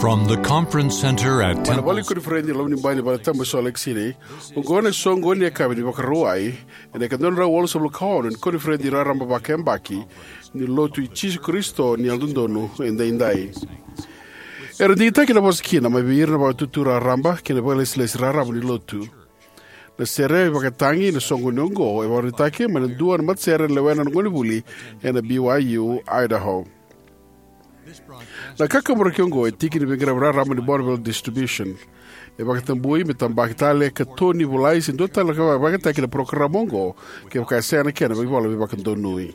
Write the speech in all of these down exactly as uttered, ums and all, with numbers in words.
From the conference center at Mai na Temple. Vale ni koniferedi ni Loma ni Bai ni Valetabu e Salt Lake City, oqo na soqoni ni yakavi ni Vakarauwai ena ika dua na drau walusagavulu ka ono ni koniferedi raraba vakayabaki ni Lotu i Jisu Karisito ni Yalododonu Edaidai. Era digitaki na vosa kina mai vei ira na vakatutu raraba kei na vakalesilesi raraba ni Lotu. Na sere e vakatagi na soqoni oqo e vakaraitaki mai na dua na matasere e lewena na gonevuli ena B Y U Idaho. Na kakaburaki oqo e tiki ni veiqaravi raraba ni Bonneville Distribution. E vakatabui me tabaki tale ka toni volai se dua tale na ka vakataki na parokaramu oqo kevaka e sega na kena veivola veivakadonui.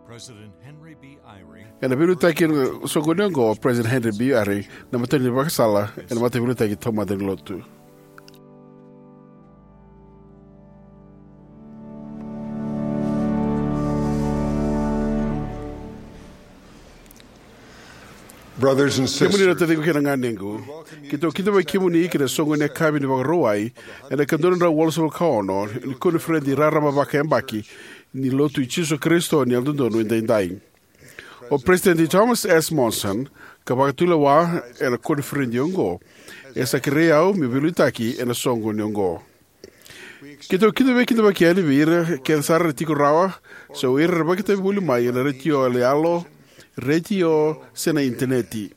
President Henry B. Eyring. Ena veiliutaki ena soqoni oqo o President Henry B. Eyring, na matani vakasala ena mataveiliutaki taumada ni lotu. Brothers and sisters, kemuni na taciqu kei na ganequ, keitou kidavaki kemuni ki na soqoni ni yakavi ni Vakarauwai ena ika dua na drau walusagavulu ka ono ni koniferedi raraba vakayabaki ni Lotu i Jisu Karisito ni Yalododonu Edaidai. O President Thomas S. Monson, ka vakatulewa ena koniferedi oqo, e sa kerei au meu veiliutaki ena soqoni oqo. Keitou kidavaki, kidavaki yani vei ira kece sara era tiko rawa, se o ira era vakaitavi voli mai ena retio yaloyalo, retio, se na initaneti.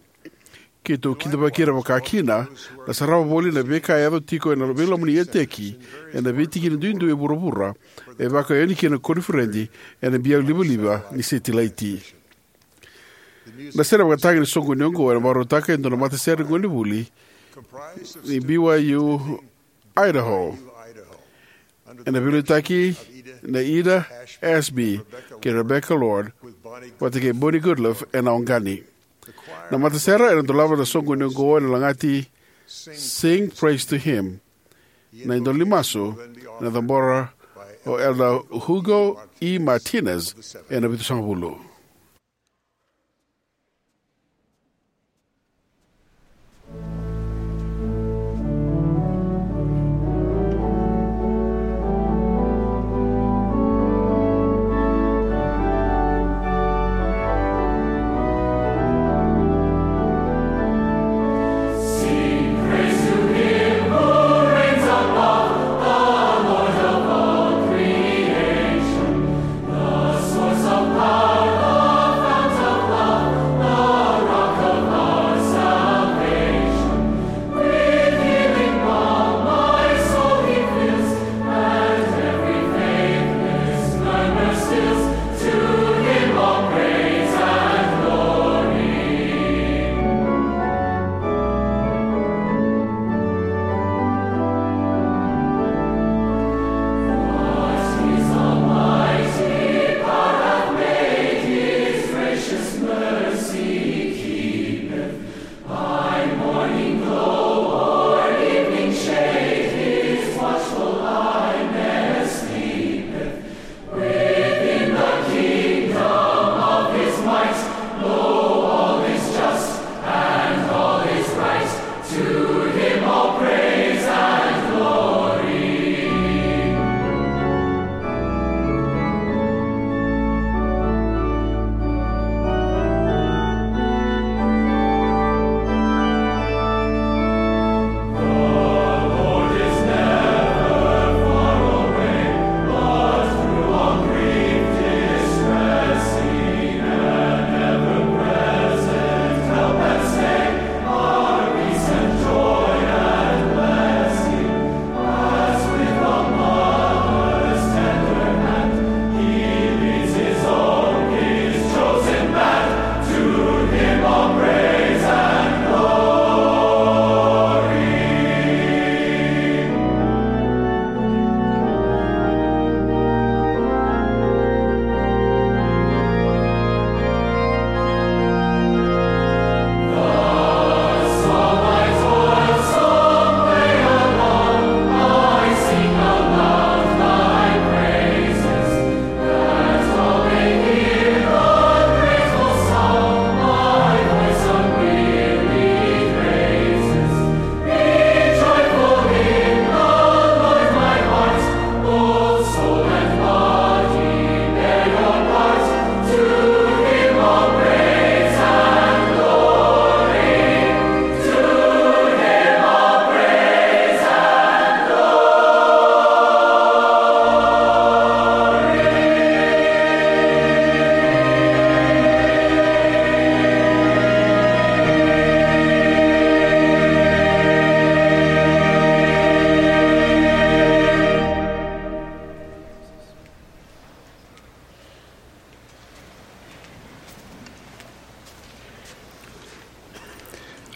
Keitou kidavaki ira vakakina na sarava voli na veika e yaco tiko ena veiloma ni eteki ena veitikina duidui e vuravura, e vakayacori kina na koniferedi ena biau livaliva ni setilaiti. Na sere vakatagi ni soqoni oqo ena vakarautaka e dua na matasere ni gonevuli ni B Y U Idaho, ena veiliutaki nei Ida Ashby kei Rebecca Lord vata kei Bonnie Goodliffe ena oqani. Na matasere ena dolava na soqoni oqo ena lagati Sing Praise to Him. Na idola ni masu ena cabora o Elder Hugo E. Martinez ena vitusagavulu.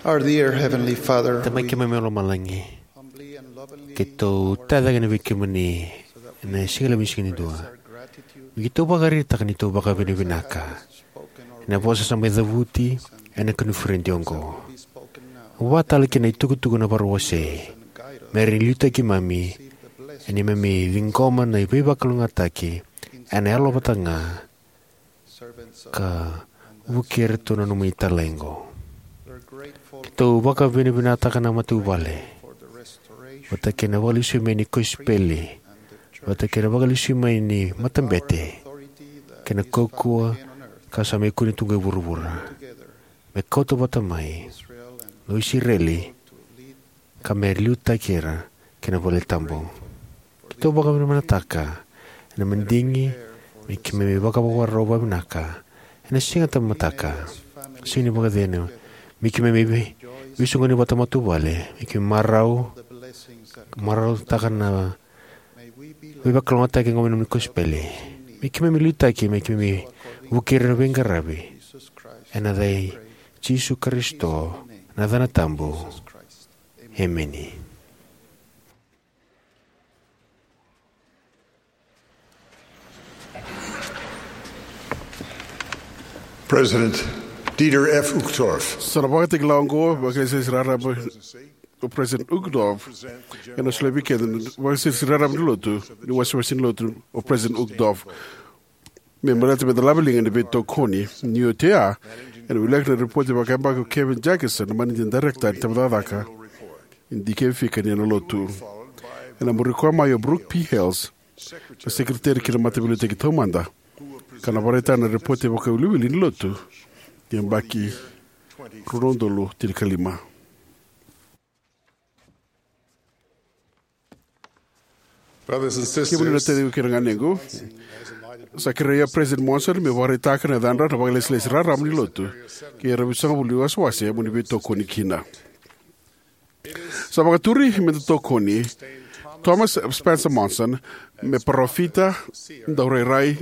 Our dear Heavenly Father, Tamai keimami mai lomalagi, keitou tacake na vei kemuni ena siga levu ni siga ni dua. Me keitou vakaraitaka ni tou vakavinavinaka ena vosa sa mai cavuti ena koniferedi oqo. Vakatale kina itukutuku na vakarau wasei, me rawa ni liutaki keimami ena neimami ciqoma na veivakalougatataki ena yalo vata ga ka vukei iratou na nomuni talaiqo. Keitou vakavinavinakataka na matavuvale vata kei na vakalesui mai ni kosipeli, vata kei na vakalesui mai ni matabete, kei na kaukauwa ka sa mai kune tu qo e vuravura, me kauta vata mai na Isireli ka me liutaki ira ki na valetabu. Keitou vakavinavinakataka ena madigi me keimami vakavakarau vakavinaka ena Siga Tabamataka, Siga ni Vakacecegu, me keimami vei, veisoqoni vata matavuvale, me keimami marau, marautaka na veivakalougatataki oqo mai na nomuni kosipeli. Me keimami liutaki me keimami vukei ira na veiqaravi ena yaca i Jisu Karisito, na yacana tabu. Emeni. President Dieter F. Uchtdorf. Sa na vakatakila oqo, vakailesilesi raraba o President Uchtdorf, ena solia vei keda na vakailesilesi raraba ni lotu ni wasewase ni lotu o President Uchtdorf. Me baleta me da lave liga ena veitokoni, ni oti oya, ena wilika na ripoti vakayabaki o Kevin Jackinson, na managing director ni tabacakacaka, e dikevi fika ni ena lotu. Ena muri koya mai o Brooke P. Hales, na sekeriteri ki na Mataveiliutaki Taumada, ka na vakaraitaka na ripoti vakawiliwili ni lotu ni yabaki rua na udolu tinikalima. Brothers and sisters, kemuni na taciqu kei na ganequ, sa kerei au President Monson me vakaraitaka na yacadra na vakailesilesi raraba ni lotu kei ira na veisagavulu ni wasewase mo ni veitokoni kina. Sa vakaturi me da tokoni Thomas Spencer Monson me parofita, daurairai,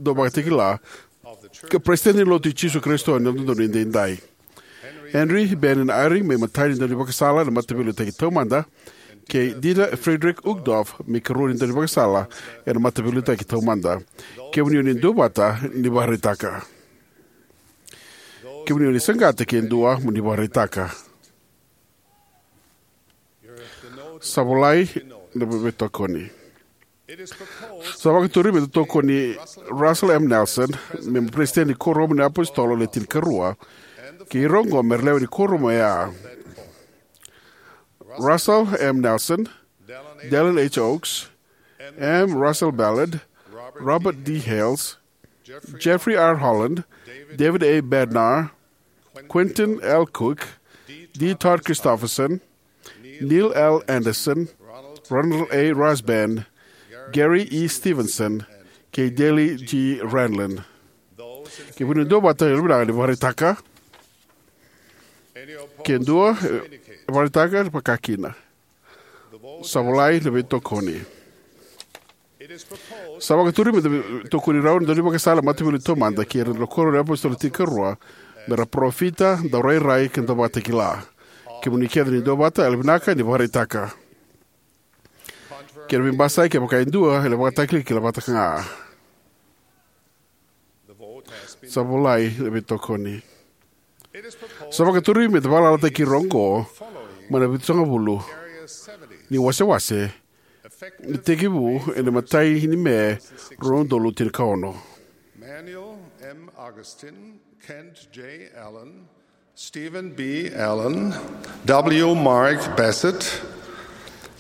dauvakatakila, ka President ni Lotu i Jisu Karisito ni Yalododonu Edaidai. Henry Bennion Eyring me imatai ni daunivakasala ena Mataveiliutaki Taumada, kei Dieter Friedrich Uchtdorf me ikarua ni daunivakasala ena Mataveiliutaki Taumada. Kemuni o ni duavata ni vakaraitaka. Kemuni o ni saqata ke dua mo ni vakaraitaka. Sa volai na veitokoni. Sa vakaturi me da tokoni Russell M. Nelson me President ni Kuoramu ni iApositolo Le Tinikarua, kei ira oqo me ra lewe ni kuoramu oya: Russell M. Nelson, Dallin H. Oaks, M. Russell Ballard, Robert D. Hales, Jeffrey R. Holland, David A. Bednar, Quentin L. Cook, D. Todd Christofferson, Neil L. Andersen, Ronald A. Rasband, Gary E. Stevenson, kei Dale G. Renlund. Kemuni duavata, yalovinaka ni vakaraitaka. Ke dua, e, vakaraitaka, vakakina. Sa volai na veitokoni. Sa vakaturi me da tokoni rau na daunivakasala Mataveiliutaki Taumada kei ira na Kuoramu ni iApositolo Tinikarua me ra parofita, daurairai, kei na dauvakatakila. Kemuni kece ni duavata, yalovinaka ni vakaraitaka. Ke na veibasai, kevaka e dua, ena vakatakilakila vata ga. Sa volai na veitokoni. Sa vakaturi me da vakalalataki ira oqo mai na vitusagavulu ni wasewase, ni tekivu ena imatai ni Me, rua na udolu tinikaono. Manuel M. Augustin, Kent J. Allen, Stephen B. Allen, W. Mark Bassett,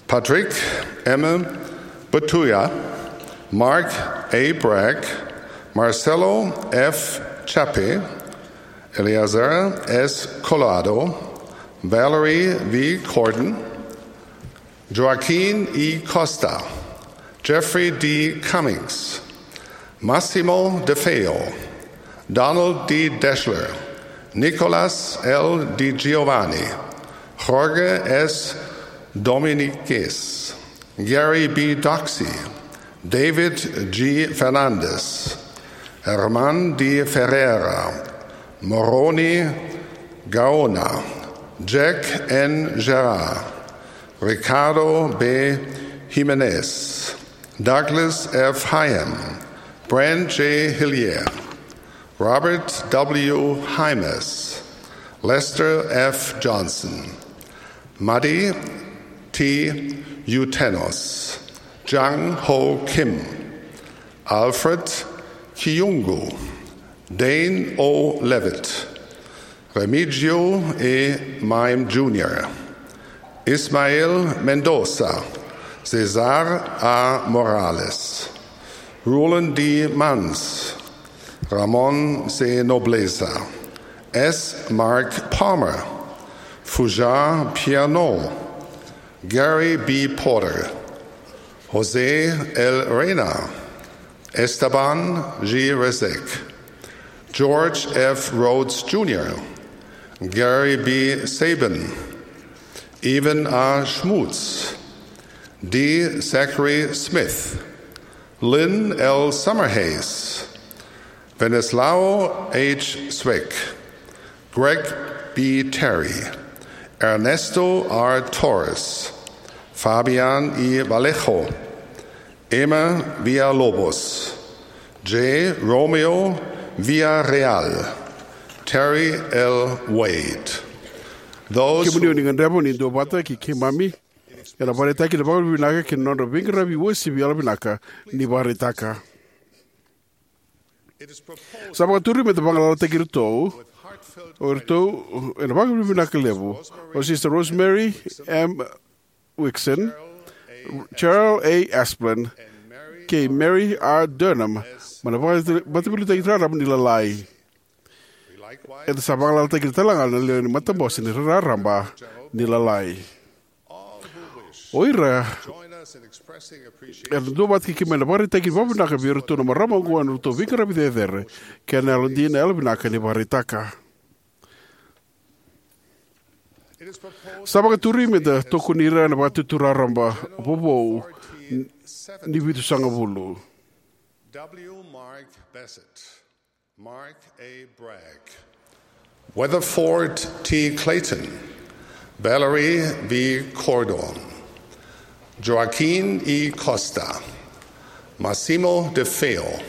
Patrick M. Batuya, Mark A. Bragg, Marcelo F. Chape, Eleazar S. Collado, Valerie V. Cordon, Joaquin E. Costa, Jeffrey D. Cummings, Massimo De Feo, Donald D. Deshler, Nicolas L. Di Giovanni, Jorge S. Dominguez, Gary B. Doxey, David G. Fernandez, Herman D. Ferreira, Moroni Gaona, Jack N. Gerard, Ricardo B. Jimenez, Douglas F. Hyam, Brent J. Hillier, Robert W. Hymas, Lester F. Johnson, Madi T. Utenos, Jang Ho Kim, Alfred Kiyungu, Dane O. Levitt, Remigio E. Maim Junior, Ismael Mendoza, Cesar A. Morales, Roland D. Mans, Ramon C. Nobleza, S. Mark Palmer, Fujar Piano, Gary B. Porter, Jose L. Reina, Esteban G. Resek, George F. Rhodes Junior, Gary B. Sabin, Evan A. Schmutz, D. Zachary Smith, Lynn L. Summerhays, Venislao H. Swick, Greg B. Terry, Ernesto R. Torres, Fabian E. Vallejo, Emma Villalobos, J. Romeo Villarreal, Terry L. Wade. Those Kemuni o ni gadreva ni duavata kei keimami ena vakaraitaki na vakavinavinaka kei na nodra veiqaravi uasivi yalovinaka ni vakaraitaka. Sa vakaturi me da vagalalataki iratou, o iratou ena vakavinavinaka levu, o Sister Rosemary M. Wixon, Cheryl A. Asplin, kei Mary R. Durham, mai na vakamatavulitaki raraba ni Lalai. Eda sa vagalalataki ira tale ga na lewe ni matabose ni raraba ni Lalai. O ira era duavata kei keimami ena vakaraitaki vakavinaka vei iratou na marama oqo ena nodratou veiqaravi cecere kei na yalodina yalovinaka ni vakaraitaka. Sa vakaturi me da tokoni ira ena Vakatutu Raraba vovou ni vitusagavulu. W. Mark Bassett, Mark A. Bragg, Weatherford T. Clayton, Valerie V. Cordon, Joaquin E. Costa, Massimo De Feo,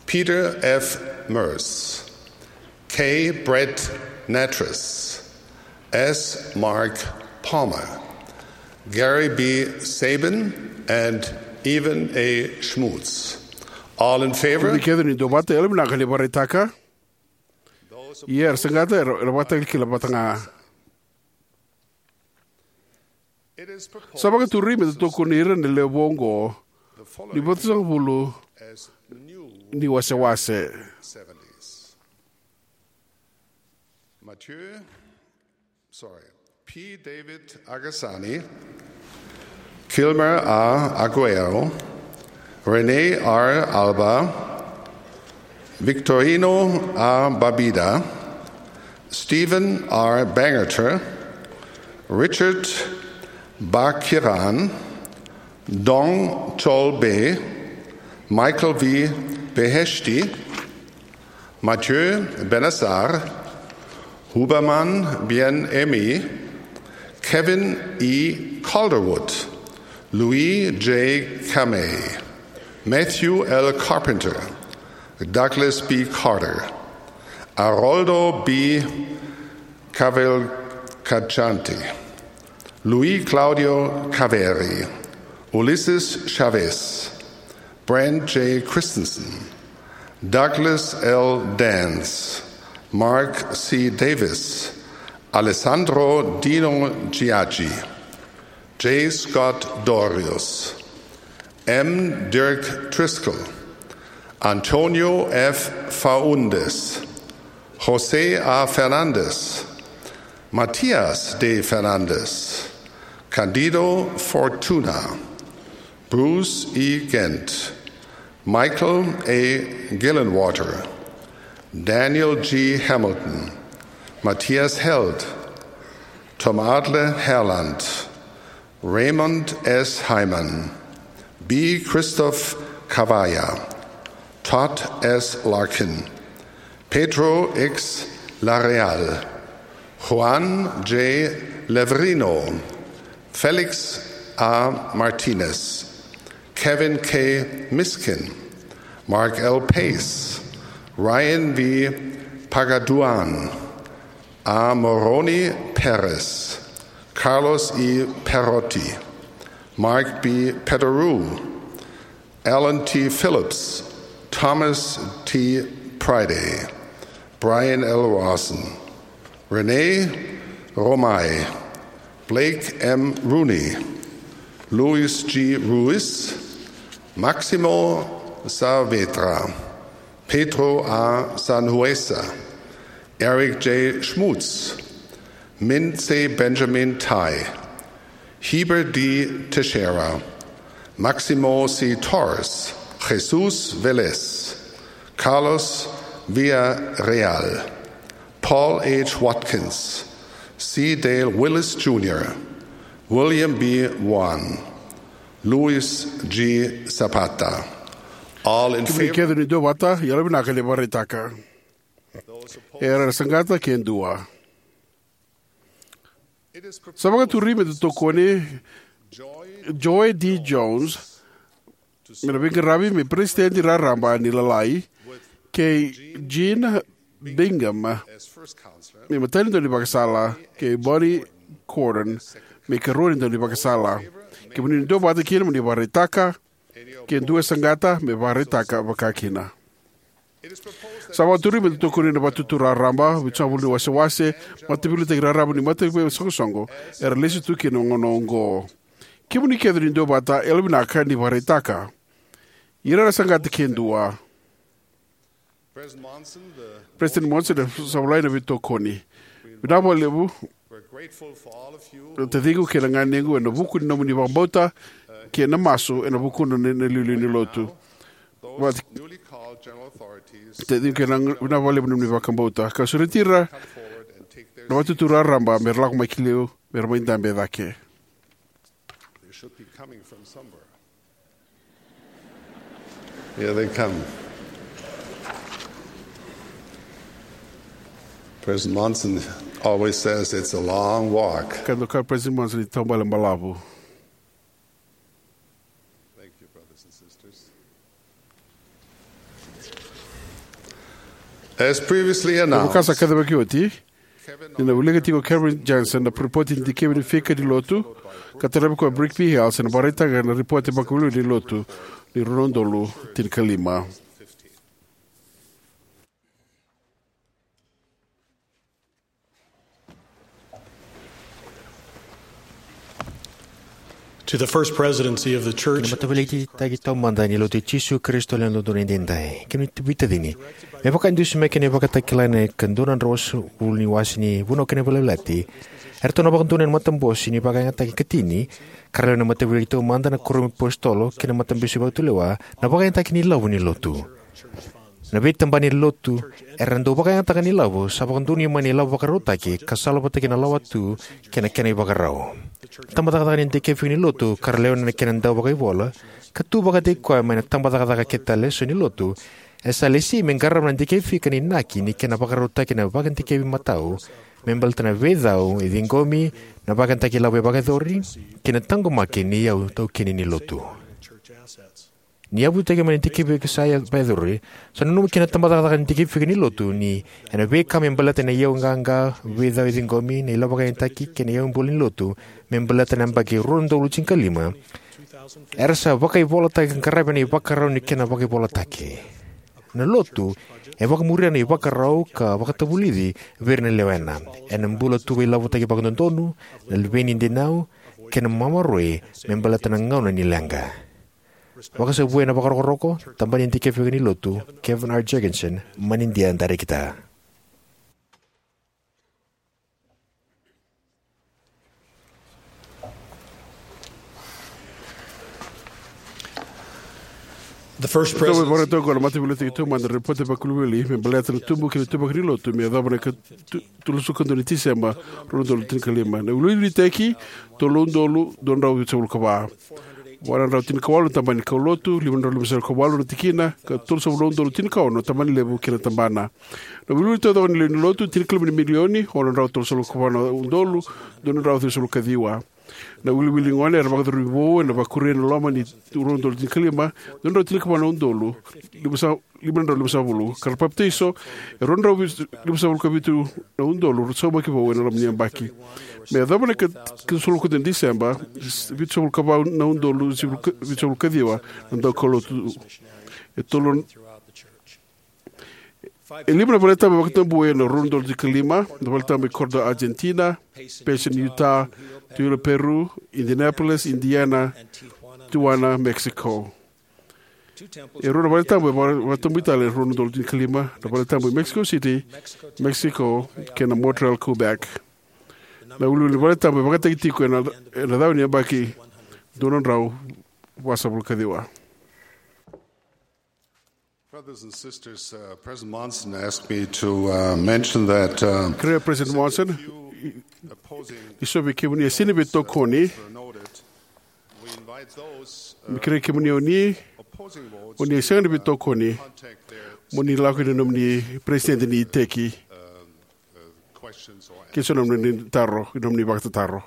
Peter F. Merce, K. Brett Nattress, S. Mark Palmer, Gary B. Sabin, and Evan A. Schmutz. All in favor? Kemuni kece ni duavata, yalovinaka ni vakaraitaka. Ia era saqata, era, era vakatakilakila vata ga. Sa vakaturi me da tokoni ira na lewe vou oqo ni vitusagavulu ni wasewase. Mathieu, sorry, P. David Agasani, Kilmer A. Aguero, Rene R. Alba, Victorino A. Babida, Stephen R. Bangerter, Richard Bakiran, Dong Chol Be, Michael V. Beheshti, Mathieu Benassar, Huberman Bien Aimé, Kevin E. Calderwood, Louis J. Kamei, Matthew L. Carpenter, Douglas B. Carter, Aroldo B. Cavalcante, Luis Claudio Caveri, Ulisses Chavez, Brent J. Christensen, Douglas L. Dance, Mark C. Davis, Alessandro Dino Giaggi, J. Scott Dorius, M. Dirk Driscoll, Antonio F. Faundes, Jose A. Fernandez, Matias D. Fernandez, Candido Fortuna, Bruce E. Ghent, Michael A. Gillenwater, Daniel G. Hamilton, Matthias Held, Tom Adler Herland, Raymond S. Hyman, B. Christoph Cavalla, Todd S. Larkin, Pedro X. Larreal, Juan J. Levrino, Felix A. Martinez, Kevin K. Miskin, Mark L. Pace, Ryan V. Pagaduan, A. Moroni Perez, Carlos E. Perotti, Mark B. Pederou, Alan T. Phillips, Thomas T. Priday, Brian L. Rawson, Rene Romay, Blake M. Rooney, Luis G. Ruiz, Maximo Saavedra, Pedro A. Sanhueza, Eric J. Schmutz, Minse Benjamin Tai, Heber D. Teixeira, Maximo C. Torres, Jesus Velez, Carlos Villarreal, Paul H. Watkins, C. Dale Willis Junior, William B. Wan, Luis G. Zapata. All in favor? Kemuni kece ni duavata, yalovinaka ni vakaraitaka. Era na saqata ke dua. Sa vakaturi me da tokoni Joy D. Jones me na veiqaravi me peresitedi raraba ni Lalai, kei Jean Bingham me matai ni daunivakasala, kei Bonnie Cordon me karua ni daunivakasala. Kemuni ni duavata kina mo ni vakaraitaka, ke dua e saqata me vakaraitaka vakakina. Sa vakaturi me da tokoni na Vatutu Raraba, Vitusagavulu ni Wasewase, Mataveiliutaki Raraba ni Mataisoqosoqo, era lesu tu kina na gauna oqo. Kemuni kece ni duavata, yalovinaka ni vakaraitaka. Ira era saqata ke dua. President Monson, sa volai na veitokoni. Vinaka vakalevu, taciqu kei na ganequ, ena vuku ni nomuni vakabauta kei na masu ena vuku ni, na iliuliu ni lotu. Vati-, taciqu kei na, vinaka vakalevu na nomuni vakabauta. Ka sureti ira na Vatutu Raraba me ra lako mai ki liu, me ra mai dabe cake. They should be coming from somewhere. Here they come. President Monson always says it's a long walk. Ka dau kaya o President Monson ni taubale balavu. Thank you, brothers and sisters. As previously announced, ka sa kacivaki oti, ni na wilika tiko o Kevin Johnson na ripoti ni dikevi ni fika ni lotu ka taravi koya o Brick B. Hales, ena vakaraitaka na ripoti vakavuli ni lotu ni rua na udolu tinikalima. To the First Presidency of the Church. Ki na Mataveiliutaki Taumada ni Lotu i Jisu Karisito ni Yalododonu Edaidai. Kemuni veitacini, me vakadusimaki ena ivakatakila ena ika dua na drau ruasagavulu ni wase ni Vunau kei na Veiyalayalati, eratou na vakadonui ena matabose ni vakayagataki ikatini, ka ra lewe ni Mataveiliutaki Taumada, na Kuoramu ni iApositolo kei na Matabose Vakatulewa, na vakayagataki ni ilavo ni lotu. Na veitabana ni lotu era dau vakayagataka na ilavo sa vakadonui mai na ilavo vakarautaki ka salavata kei na lawatu kei na kena ivakarau. Tabacakacaka ni dikevi fika ni lotu, ka ra lewena na kena dau vakaivola ka tu vakataki koya mai na tabacakacaka kece tale eso ni lotu, e sa lesi me qarava na dikevi fika ni inaki ni kena vakarautaki na vakadikevi matau me baleta na veicau e ciqomi, na vakayagataki ilavo e vakayacori, kei na taqomaki ni iyau taukeni ni lotu. Ni yavutaki mai na dikevi ka sa vakayacori, sa nanuma kina na tabacakacaka ni dikevi fika ni lotu ni ena veika me baleta na iyau qaqa, veicau e ciqomi, na ilavo vakayagataki kei na iyau bula ni lotu me baleta na yabaki rua na udolu tinikalima, era sa vakaivolataki ka qaravi ena ivakarau ni kena vakaivolataki. Na lotu e vakamuria na ivakarau ka vakatavulici vei ira na lewena ena bula tu veilavotaki vakadodonu, na luveni dinau, kei na maroroi me baleta na gauna ni leqa. Vakasavui ena vakarokoroko, tabana ni dikevi fika ni lotu, Kevin R. Jergensen, Manidia, Director. The First Presidency. Tou vakaraitaka na Mataveiliutaki Taumada na ripoti vakavuli me baleta na tubu kei na ituvaki ni lotu me yacova na ika tu-, tolusagavulu ka dua ni Tiseba, rua na udolu tinikalima. Na wiliwili ni iteki, tolu na udolu dua drau vitusagavulu ka va. Walu na drau tinikawalu na tabana ni kaulotu, lima na drau limasagavulu ka walu na tikina, ka tolusagavulu na udolu tinikaono na tabana levu kei na tabana. Na wiliwili taucoko ni lewe ni lotu, tinikalima na milioni, ono na drau tolusagavulu ka va na udolu, dua na drau ciwasagavulu ka ciwa. Na wiliwili ni gone era vakacuru vou ena vakuria ena loma ni rua na udolu tinikalima, dua na drau tinikava na udolu, lima sa-, lima na drau limasagavulu. Ka ra papitaiso, e rua na drau limasagavulu ka vitu na udolu, ra saumaki vou ena loma ni yabaki. Me yacova na ika, ikaciwasagavulu ka dua ni Diseba, vitusagavulu ka va na udolu, vitusagavulu ka ciwa, na daukaulotu. E tolu, e lima na valetabu e vakatabuya ena rua na udolu tinikalima, na valetabu e Cordoba, Argentina, Payson, Utah, Tooele, Peru, Indianapolis, Indiana, Tijuana, Mexico. E rua na valetabu e vaka-, vakatabui tale ena rua na udolu tinikalima, na valetabu e Mexico City, Mexico, kei na Montreal, Quebec. Na wiliwili ni valetabu e vakayagataki tiko ena, ena cava ni yabaki, dua na drau vasagavulu ka ciwa. Brothers and sisters, uh, President Monson asked me to, uh, mention that, uh, Kerea President Monson, opposing ni so vei kemuni e sega ni veitokoni. We invite those, uh, me kerei kemuni o ni, opposing votes, o ni e sega ni veitokoni, mo ni lako ina nomuni president ni iteki. Uh, uh, questions or ke so na nomuni taro, nomuni vakatataro.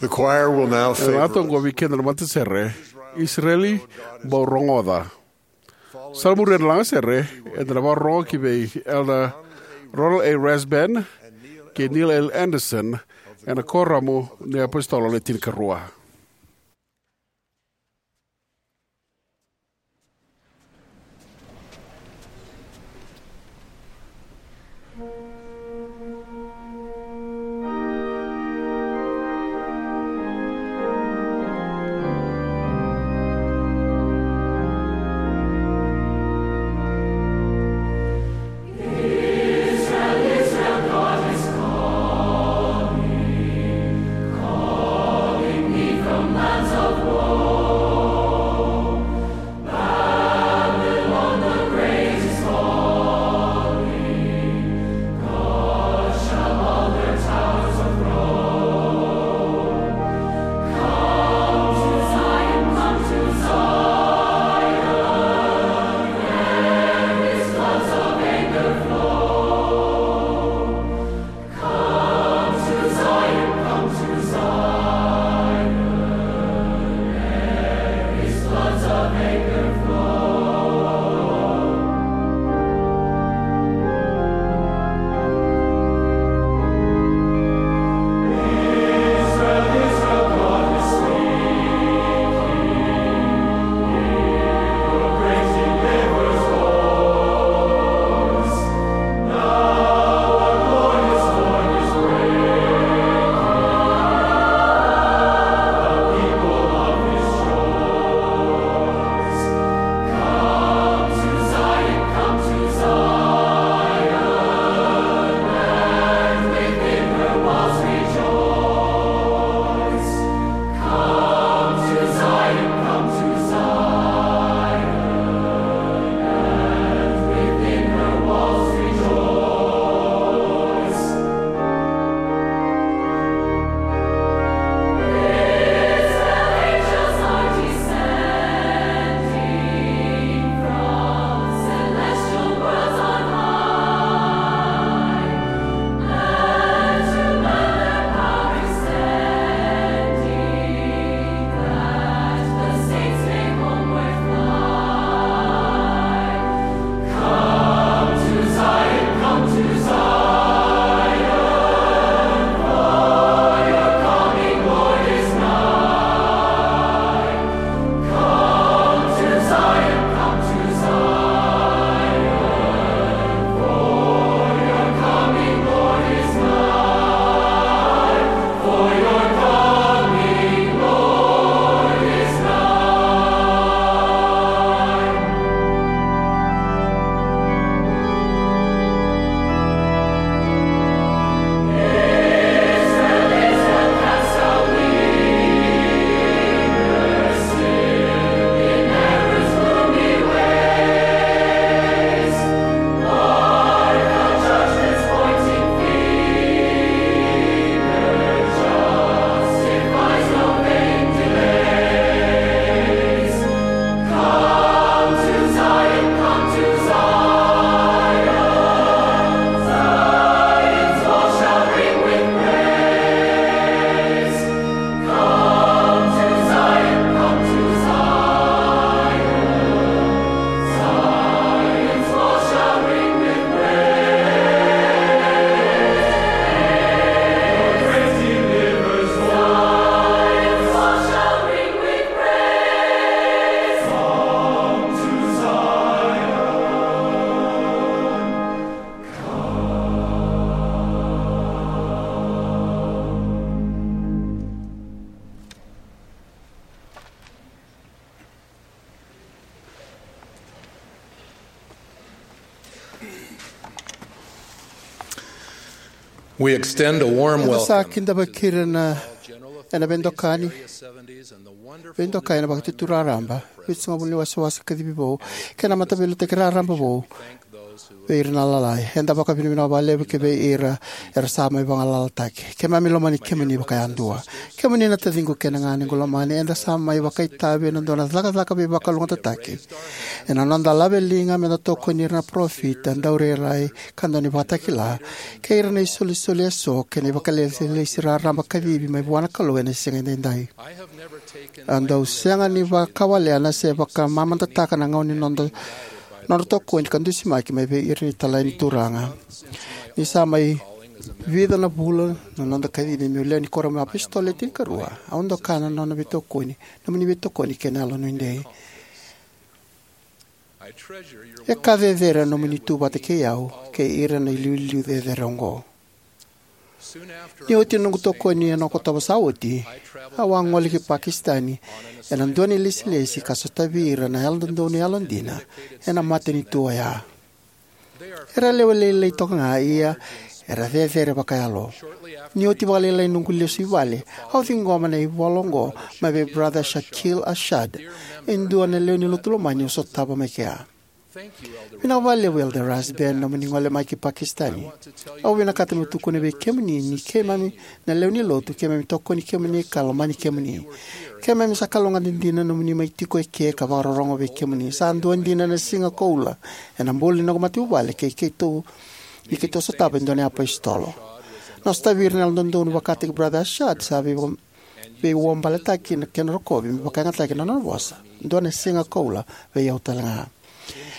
The choir will now favor us. Ena toqo vei keda na matasere, Isireli Bau Rogoca. Sa muria na lagasere, eda na vakarorogo ki vei Elder Ronald A. Rasband kei Neil L. Andersen ena Kuoramu ni iApositolo Le Tinikarua. We extend a warm Eda sa welcome kidavaki ira na, ena veidokani, veidokai ena Vakaitutu Raraba, vitusagavulu ni wasewase kacivi vou, kei na mataveiliutaki raraba vou vei ira na lalai. Eda vakavinavinaka vakalevu ki vei ira era sa mai vagalalataki. Keimami lomani kemuni vakayadua. Kemuni na taciqu kei na ganequ lomani, eda sa mai vakaitavi ena dua na cakacaka veivakalougatataki. Ena noda laveliga meda tokoni ira na parofita, daurairai, ka dau ni vakatakila, kei ira na isolisoli eso kei na ivakalesilesi raraba kacivi mai vua na Kalou ena siga edaidai. Au dau sega ni vakawalena se vakamamadataka na gauna ni noda, nodra tokoni ka dusimaki mai vei ira na italai ni Turaga. Ni sa mai vica na vula na noda kacivi meu lewe ni Kuoramu ni iApositolo Le Tinikarua, au doka na nona veitokoni, nomuni veitokoni kei na yalonuidei. E ka cecere na nomuni tu vata kei au kei ira na iliuliu cecere oqo. Ni oti na noqu tokoni ena Okotova sa oti, au a gole ki Pakisitani ena dua na ilesilesi ka sotavi ira na Yalododonu yalodina ena matanitu oya. Era lewe lailai toka ga, ia era cecere vakayalo. Ni oti vakalailai noqu lesu i vale, au ciqoma na ivola oqo mai vei Brother Shakil Arshad, e dua na lewe ni lotu lomani au sotava mai kea. Vinaka vakalevu, Elder Rasband, nomuni gole mai ki Pakisitani. Au vinakata meu tukuna vei kemuni ni keimami na lewe ni lotu, keimami tokoni kemuni ka lomani kemuni. Keimami sa kalougata dina nomuni mai tiko eke ka vakarorogo vei kemuni. Sa dua dina na siga koula ena bula ni noqu matavuvale kei keitou, ni keitou sotava e dua na iapositolo. Na sotavi ira na Yalododonu vakataki Brother Arshad sa vei veiwabaletaki na kena rokovi me vakayagataki na nona vosa. Dua na siga koula vei au talega.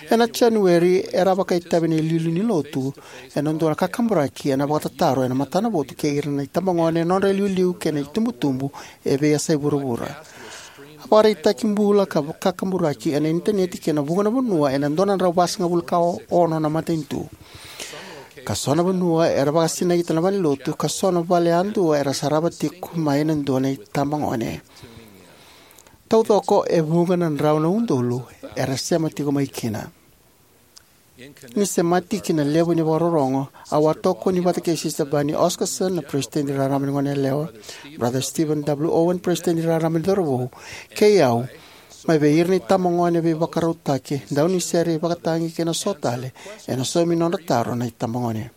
Ena Janueri, era a vakaitavi na iliuliu ni lotu ena dua na kakaburaki ena vakatataro ena matanavotu kei ira na itabagone, nodra iliuliu kei na itubutubu e veiyasai vuravura. A vakaraitaki bula ka kakaburaki ena initaneti kei na vuqa na vanua ena dua na drau vasagavulu ka ono na matanitu. Ka so na vanua era vakasinaita na valenilotu, ka so na vale yadua era sarava tiko mai na dua na itabagone. Taucoko e vuqa na drau na udolu era sema tiko mai kina. Ni semati ki na levu ni vakarorogo, au a tokoni vata kei Sister Bernie Oscarson, na Peresitedi Raraba ni Goneyalewa, Brother Stephen W. Owen, Peresitedi Raraba ni Cauravou, kei au, mai vei ira na itabagone veivakarautaki, daunisere, ivakatagi kei na so tale, ena saumi nodra taro na itabagone.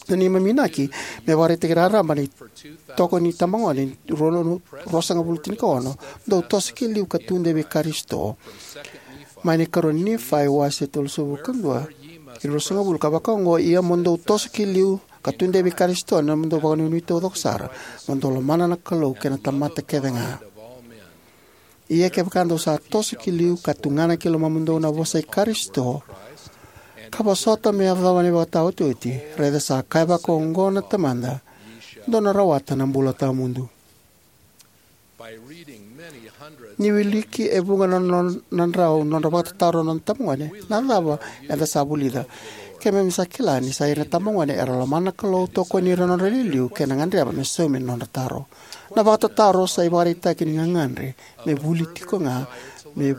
Na neimami inaki me vakaraitaki raraba na itoko ni itabagone rua na ruasagavulu tinikaono, dou toso ki liu ka tudei vei Karisito. Mai na ikarua ni Nifai wase tolusagavulu ka dua, ruasagavulu, ka vaka oqo: Ia mo dou toso ki liu ka tudei vei Karisito ena nomudou vakanuinui taucoko sara, mo dou lomana na Kalou kei na tamata kece ga. Ia kevaka dou sa toso ki liu ka tugana ki lomamudou na vosa i Karisito, ka vosota me yacova na ivakataotioti, raica sa kaya vakaoqo na Tamada, dou na rawata na bula tawamudu. Ni wiliki e vuqa na, na, na drau nodra vakatataro na noda itabagone, na cava eda sa vulica? Keimami sa kila ni sa ira na itabagone era lomana na Kalou, tokoni ira na nodra iliuliu, kei na gadreva me saumi na nodra taro. Na vakatataro sa ivakaraitaki ni gagadre me vuli tiko ga, me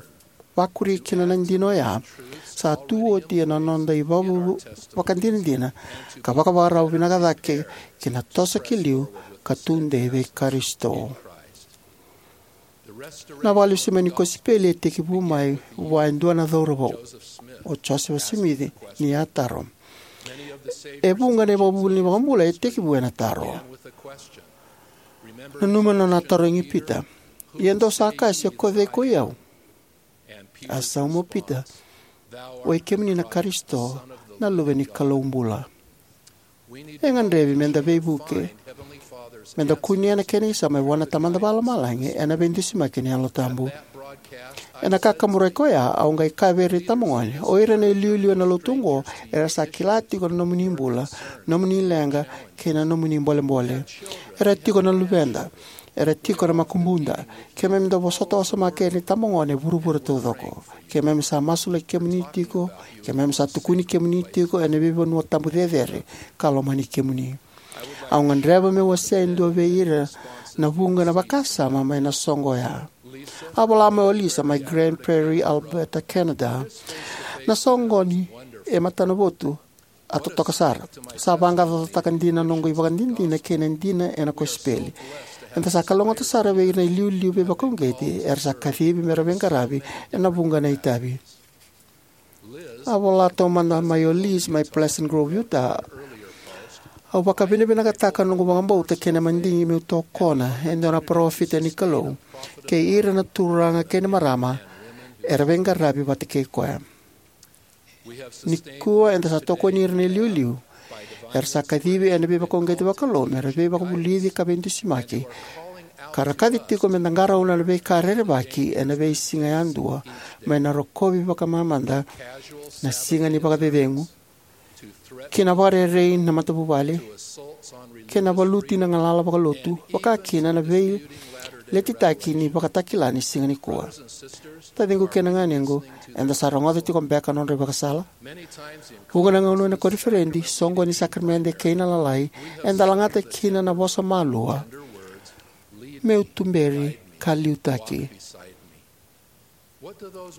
vakuri kina na dina oya, sa tu oti ena noda ivakavakadinadina ka vakavakarau vinaka cake ki na toso ki liu ka tudei vei Karisito. Na vakalesui mai ni kosipeli e tekivu mai vua e dua na cauravou, o Josefa Simici, ni a taro. E vuqa na ivakavuvuli ni iVakabula e tekivu ena taro. Nanuma na nona tarogi Pita: Ia dou sa kaya se ko cei ko i au? A sauma o Pita: Oi kemuni na Karisito, na Luve ni Kalou bula. E gadrevi meda veivuke, meda kunea na kena isau mai vua na Tamada Vakalomalagi ena veidusimaki ni Yalo Tabu. Ena kakaburaki oya, au qai kaya vei ira na itabagone: O ira na iliuliu ena lotu oqo era sa kila tiko na nomuni bula, nomuni leqa, kei na nomuni bolebole. Era tiko na luveda. Era tiko na makubuda. Keimami dau vosota wasoma kei ira na itabagone e vuravura taucoko. Keimami sa masulaki kemuni tiko. Keimami sa tukuni kemuni tiko ena veivanua tabu cecere, ka lomani kemuni. Au gadreva meu wasea e dua vei ira na vuqa na vakasama mai na soqo oya. A vola mai o Lisa mai Grande Prairie, Alberta, Canada. Na soqoni e matanavotu a totoka sara. Sa vaqaqacotaka dina na noqu ivakadinadina kei na dina ena kosipeli. Eda sa kalougata sara vei ira na iliuliu veivakauqeti era sa kacivi me ra veiqaravi ena vuqa na itavi. A vola taumada mai o Liz mai Pleasant Grove, Utah: Au vakavinavinakataka na noqu vakabauta kei na madigi meu tokona e dua na parofita ni Kalou kei ira na turaga kei na marama era veiqaravi vata kei koya. Nikua eda sa tokoni ira na iliuliu era sa kacivi ena veivakauqeti vakalou me ra veivakavulici ka veidusimaki, ka ra kaci tiko me da qarauna na veika rerevaki ena veisiga yadua, mai na rokovi vakamamada na Siga ni Vakacecegu, ki na vakarerei na matavuvale, kei na valuti na galala vakalotu, vakakina na veiletitaki ni ivakatakila ni siga nikua. Taciqu kei na ganequ, eda sa rogoca tiko beka na nodra ivakasala? Vuqa na gauna ena koniferedi, soqoni ni sakaramede, kei na Lalai, eda lagata kina na vosa malua: Meu tuberi ka liutaki.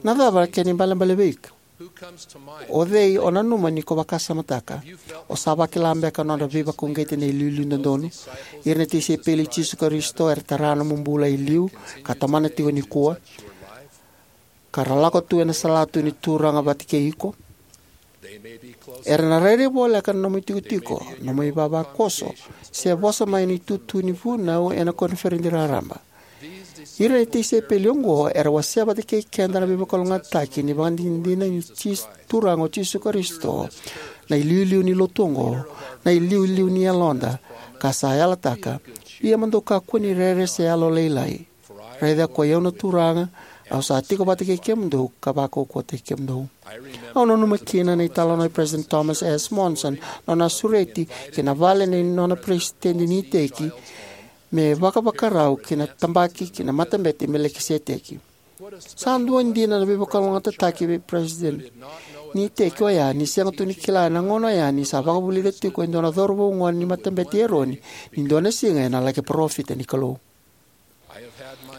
Na cava na kena ibalebale vei iko? O cei o nanuma ni ko vakasamataka? O sa vakila beka na nodra veivakauqeti na iliuliu dodonu? Ira na tisaipeli i Jisu Karisito era tara nomu bula e liu ka tomana tiko nikua, ka ra lako tu ena salatu ni Turaga vata kei iko. Era na rairai voleka na nomu itikotiko, nomu ivavakoso, se vosa mai na itutu ni vunau ena koniferedi raraba. Ira na tisaipeli oqo era wasea vata kei keda na veivakalougatataki ni ivakadinadina ni Jis-, Turaga o Jisu Karisito, na iliuliu ni Lotu oqo, na iliuliu ni yaloda, ka sa yalataka: Ia mo dou kakua ni rere se yalolailai. Raica koi au na Turaga, au sa tiko vata kei kemudou ka vakaukauwataki kemudou. Au nanuma kina na italanoa i Peresitedi Thomas S. Monson, nona a sureti ki na vale nei nona peresitedi ni iteki me vakavakarau ki na tabaki ki na Matabete i Melikiseteki. Sa dua dina na veivakalougatataki vei peresitedi ni iteki oya, ni sega tu ni kila ena gauna oya ni sa vakavulica tiko e dua na cauravou gone ni Matabete i Eroni ni dua na siga ena laki parofita ni Kalou.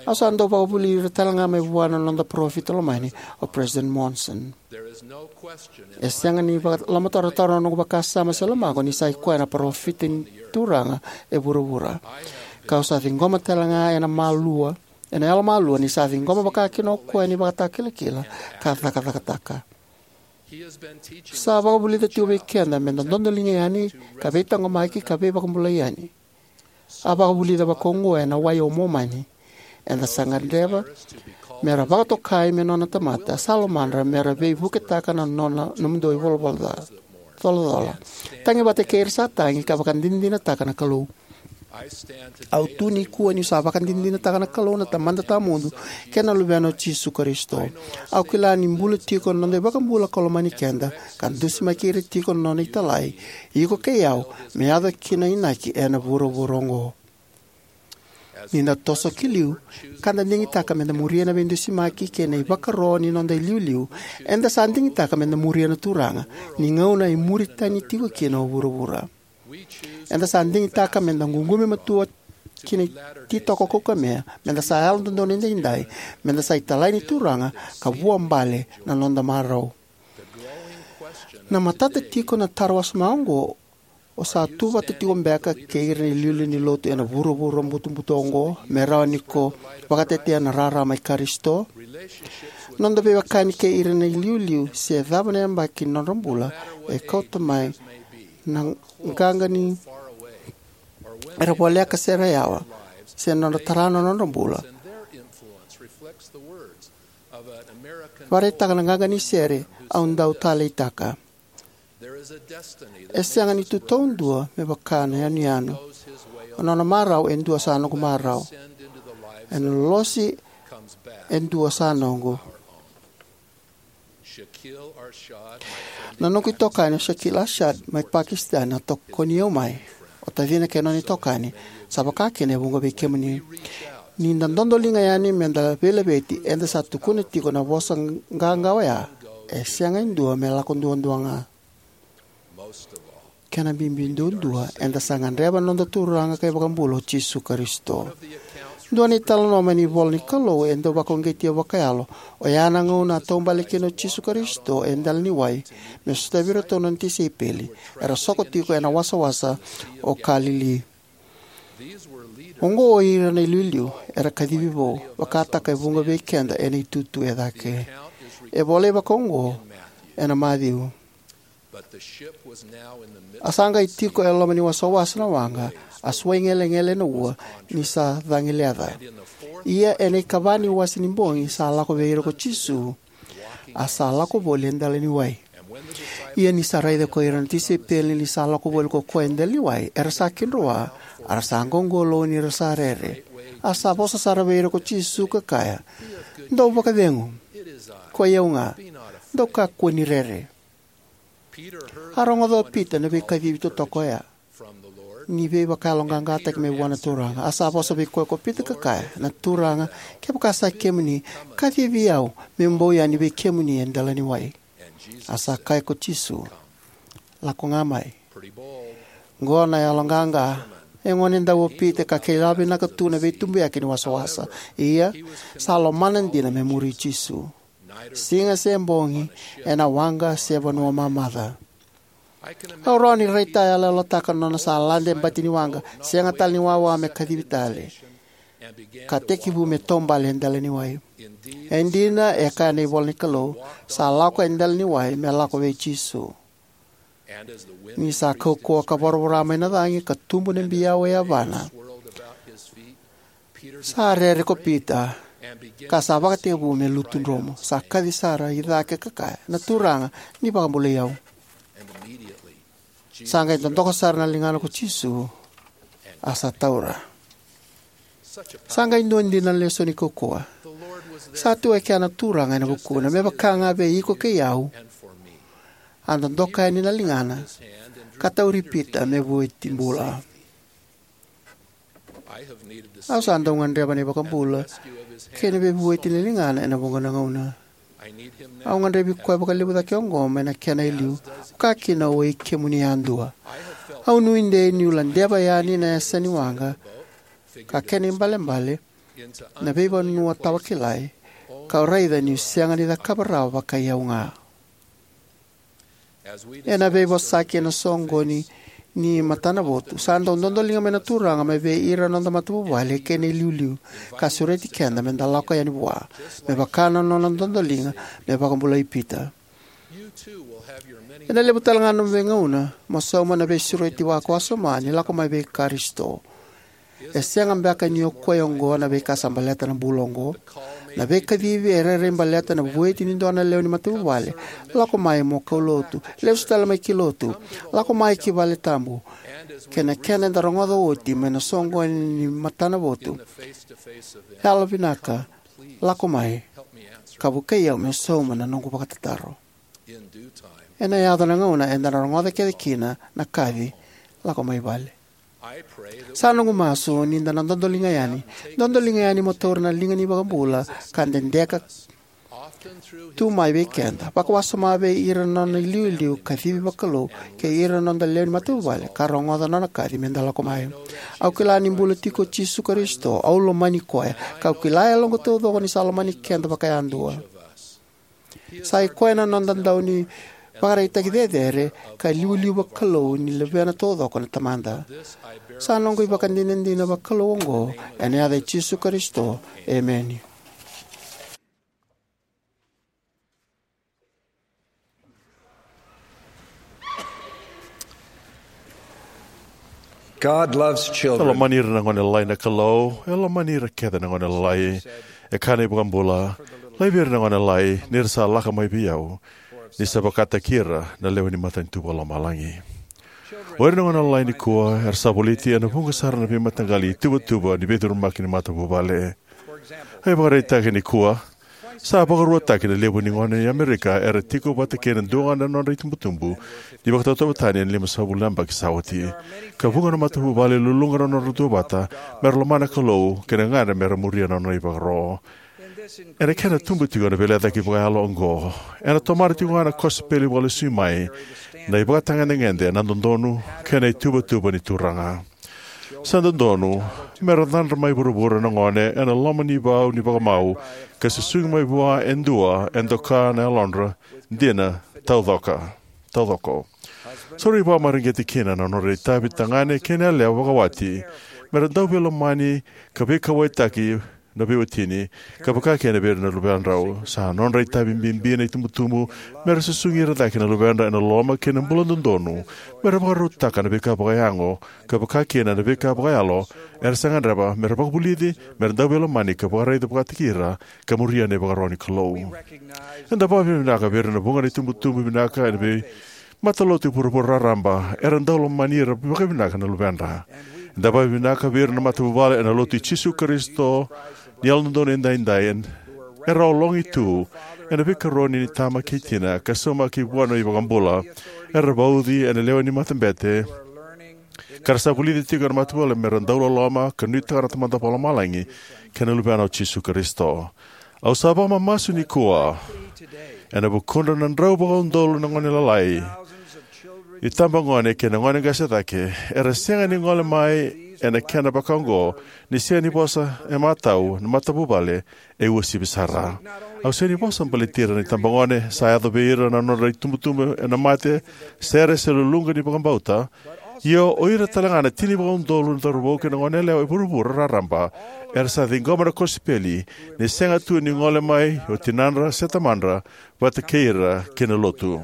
Au sa dau vakavulici ira talega mai vua na noda parofita lomani, o Peresitedi Monson. E sega ni vakalomatarotaro na noqu vakasama se lomaqu ni sa i koya na parofita ni Turaga e vuravura. Kau sa ciqoma talega ena malua, ena yalomalua, ni sa ciqoma vakakina o koya na ivakatakilakila ka cakacakataka. Sa vakavulica tiko vei keda meda dodoliga yani, ka veitaqomaki, ka veivakabulai yani. A vakavulica vakaoqo ena wai o Momani: Eda sa gadreva me ra vakatokai me nona tamata sa lomadra, me ra veivuketaka na nona, nomudou ivalavala ca-, colacola. Tagi vata kei ira sa tagi, ka vakadinadinataka na Kalou. Au tu nikua niu sa vakadinadinataka na Kalou na Tamada Tawamudu kei na Luvena o Jisu Karisito. Au kila ni bula tiko na noda iVakabula ka lomani keda, ka dusimaki ira tiko na nona italai, iko kei au, me yaco kina na inaki ena vuravura oqo. Ni da toso ki liu ka da digitaka meda muria na veidusimaki kei na ivakaro ni noda iliuliu, eda sa digitaka meda muria na Turaga ni gauna e muri tani tiko kina o vuravura. Eda sa digitaka meda ququmi matua ki na ititoko kaukamea, meda sa yalododonu edaidai, meda sa italai ni Turaga, ka vuabale na noda marau. Na matata tiko na taro wasoma oqo: O sa tu vata tiko beka kei ira na iliuliu ni Lotu ena vuravura butobuto oqo, me rawa ni ko vakatetea na rarama i Karisito? Noda veiwekani kei ira na iliuliu, se cava na yabaki ni nodra bula, e kauta mai na qaqa ni era voleka se ra yawa, se nodra tara na nodra bula. Vakaraitaka na qaqa ni sere, Au Dau Taleitaka: E sega ni tu taudua me vaka na yanuyanu. O nona marau e dua sa noqu marau. Ena lolosi e dua sa noqu. Na noqu itokani o Shakil Arshad mai Pakistan a tokoni au mai. O tacina kei na nona itokani, sa vaka kina e vuqa vei kemuni. Ni da dodoliga yani meda veilaveti, eda sa tukuna tiko na vosa qaqa oya: E sega e dua me lako duadua ga. Kena bibi duadua, eda sa gadreva na noda Turaga ka iVakabula o Jisu Karisito. Dua na italanoa mai na ivola ni Kalou e dau vakauqeti au vakayalo, oya na gauna a taubale kina o Jisu Karisito e dela ni wai me sotavi iratou na nona tisaipeli era soko tiko ena wasawasa o Kalili. Oqo o ira na iliuliu era kacivi vou, vakataka e vuqa vei keda ena itutu e cake. E volai vakaoqo ena Maciu. A sa qai tiko e loma ni wasawasa na waqa, a suai gelegele na ua ni sa cagi leca. Ia ena ikava ni wase ni bogi sa lako vei ira ko Jisu, a sa lako voli e dela ni wai. Ia ni sa raica ko ira na tisaipeli ni sa lako voli ko koya e dela ni wai, era sa kidroa, a ra sa qoqolou ni ra sa rere. A sa vosa sara vei ira ko Jisu ka kaya, "Dou vakacegu, koi au ga, dou kakua ni rere." A rogoca o Pita na veikacivi totoka oya, ni veivakayaloqaqataki mai vua na Turaga. A sa vosa vei koya ko Pita ka kaya, "Na Turaga, kevaka sa kemuni, kacivi au meu bau yani vei kemuni e dela ni wai." A sa kaya ko Jisu, "Lako ga mai." Qo na yaloqaqa. E gonedau o Pita ka kila vinaka tu na veitubuyaki ni wasawasa. Ia, sa lomana dina me muri Jisu, siga se bogi, ena waqa se vanua mamaca. Au rawa ni raitayaloyalotaka na nona sa lade bati ni waqa, sega tale ni wawa me kacivi tale, ka tekivu me taubale e dela ni wai. E dina, e kaya na ivola ni Kalou, sa lako e dela ni wai me lako vei Jisu. Ni sa kaukauwa ka voravora mai na cagi ka tubu na biau e yavana, sa rere ko Pita, ka sa vakatekivu me lutu dromu. Sa kaci sara i cake ka kaya, "Na Turaga, ni vakabulai au." Sa qai dodoka sara na ligana ko Jisu, a sa taura. Sa qai dua dina na lesoni kaukauwa. Sa tu e kea na Turaga ena vukuna, me vaka ga vei iko kei au. A dodoka yani na ligana ka tauri Pita me vueti bula. Au sa dau gadreva na iVakabula kei na veivueti ni ligana ena vuqa na gauna. Au gadrevi koya vakalevu cake oqo mai na kena e liu, vaka kina o i kemuni yadua. Au nuidei niu ladeva yani na yasa ni waqa, ka kena ibalebale, na veivanua tawakilai, kau raica niu sega ni cakava rawa vakai au ga. Ena veivosaki ena soqoni ni matanavotu, sa dau dodoliga mai na Turaga mai vei ira na noda matavuvale kei na iliuliu, ka sureti keda meda lako yani vua, me vaka na nona dodoliga me vakabulai Pita. Ena levu tale ga na nomu veigauna mo sauma na veisureti vakawasoma ni lako mai vei Karisito. E sega beka ni o koya oqo na veika sa baleta na bula oqo? Na veikacivi e rairai baleta na vueti ni dua na lewe ni matavuvale. Lako mai mo kaulotu, lesu tale mai ki lotu, lako mai ki vale tabu. Kei na kena eda rogoca oti mai na soqoni ni matanavotu, yalovinaka, lako mai ka vukei au meu sauma na noqu vakatataro. Ena yaco na gauna eda na rogoca kece kina na kaci, "Lako mai vale." Sa noqu masu ni da na dodoliga yani, dodoliga yani mo taura na liga ni iVakabula ka dedeka tu mai vei keda, vakawasoma vei ira na nona iliuliu kacivi vakalou kei ira na noda lewe ni matavuvale ka rogoca na nona kaci meda lako mai. Au kila ni bula tiko o Jisu Karisito, au lomani koya, kau kila e yaloqu taucoko ni sa lomani keda vakayadua. Sa i koya na noda dau ni vakaraitaki cecere ka iliuliu vakalou ni luvena taucoko na Tamada. Sa noqu ivakadinadina vakalou oqo ena yaca i Jisu Karisito. Emeni. God loves E children. Lomani ira na gone lalai na Kalou, e lomani ira kece na gone lalai. E kaya na iVakabula, laivi ira na gone lalai, ni ra sa lako mai vei au, ni sa vakataki ira na lewe ni matanitu vakalomalagi. O ira na gone lalai nikua, era sa voliti ena vuqa sara na veimataqali ituvatuva ni veicurumaki ni matavuvale. E vakaraitaki nikua, sa vakaruataki na levu ni gone e Amerika era tiko vata kei na dua ga na nodra itubutubu ni vakatauvatani ena limasagavulu na yabaki sa oti. Ka vuqa na matavuvale e luluqa na nodra duavata mera lomana na Kalou kei na gagadre mera muria na nona ivakaro. Ena kena tubu tiko na veilecayaki vakayalo oqo, ena tomana tiko ga na kosipeli vakalesui mai na ivakatagedegede, na dodonu kei na ituvatuva ni Turaga. Sa dodonu me ra cadra mai vuravura na gone ena loma ni vau ni vakamau, ka susugi mai vua e dua e doka na yalodra dina taucoka, taucoko. Sa rui vakamareqeti kina na nodra itavi tagane kei na yalewa vakawati me ra dau veilomani ka veikauwaitaki na veiwatini, ka vaka kina vei ira na luvedrau. Sa nodra itavi bibi na itubutubu me ra susugi ira cake na luvedra ena loloma kei na bula dodonu, me ra vakarautaka na veika vakayago, ka vaka kina na veika vakayalo era sa gadreva, me ra vakavulici me ra dau veilomani ka vakaraica vakataki ira, ka muria na ivakaro ni Kalou. Eda vakavinavinaka vei ira na vuqa na itubutubu vinaka ena veimatalotu e vuravura raraba era dau lomani ira vakavinaka na luvedra. Eda vakavinavinaka vei ira na matavuvale ena Lotu i Jisu Karisito ni Yalododonu Edaidai, era ologi tu ena veikaroni ni tama kei tina ka saumaki vua na iVakabula, era vauci ena lewe ni matabete, ka ra sa vulica tiko na matavuvale me ra dau loloma ka nuitaka na Tamada Vakalomalagi kei na Luvena o Jisu Karisito. Au sa vakamamasu nikua ena vukudra na drau vakaudolu na gone lalai, itabagone kei na gone qase cake era sega ni gole mai ena kena vakaoqo ni sega ni vosa e matau na matavuvale e uasivi sara. Au sega ni vosa baleti ira na itabagone sa yaco vei ira na nodra itubutubu ena mate, sere se luluqa ni vakabauta, ia o ira talega na tini vakaudolu na cauravou kei na goneyalewa e vuravura raraba era sa ciqoma na kosipeli ni sega tu ni gole mai o tinadra se tamadra vata kei ira ki na Lotu.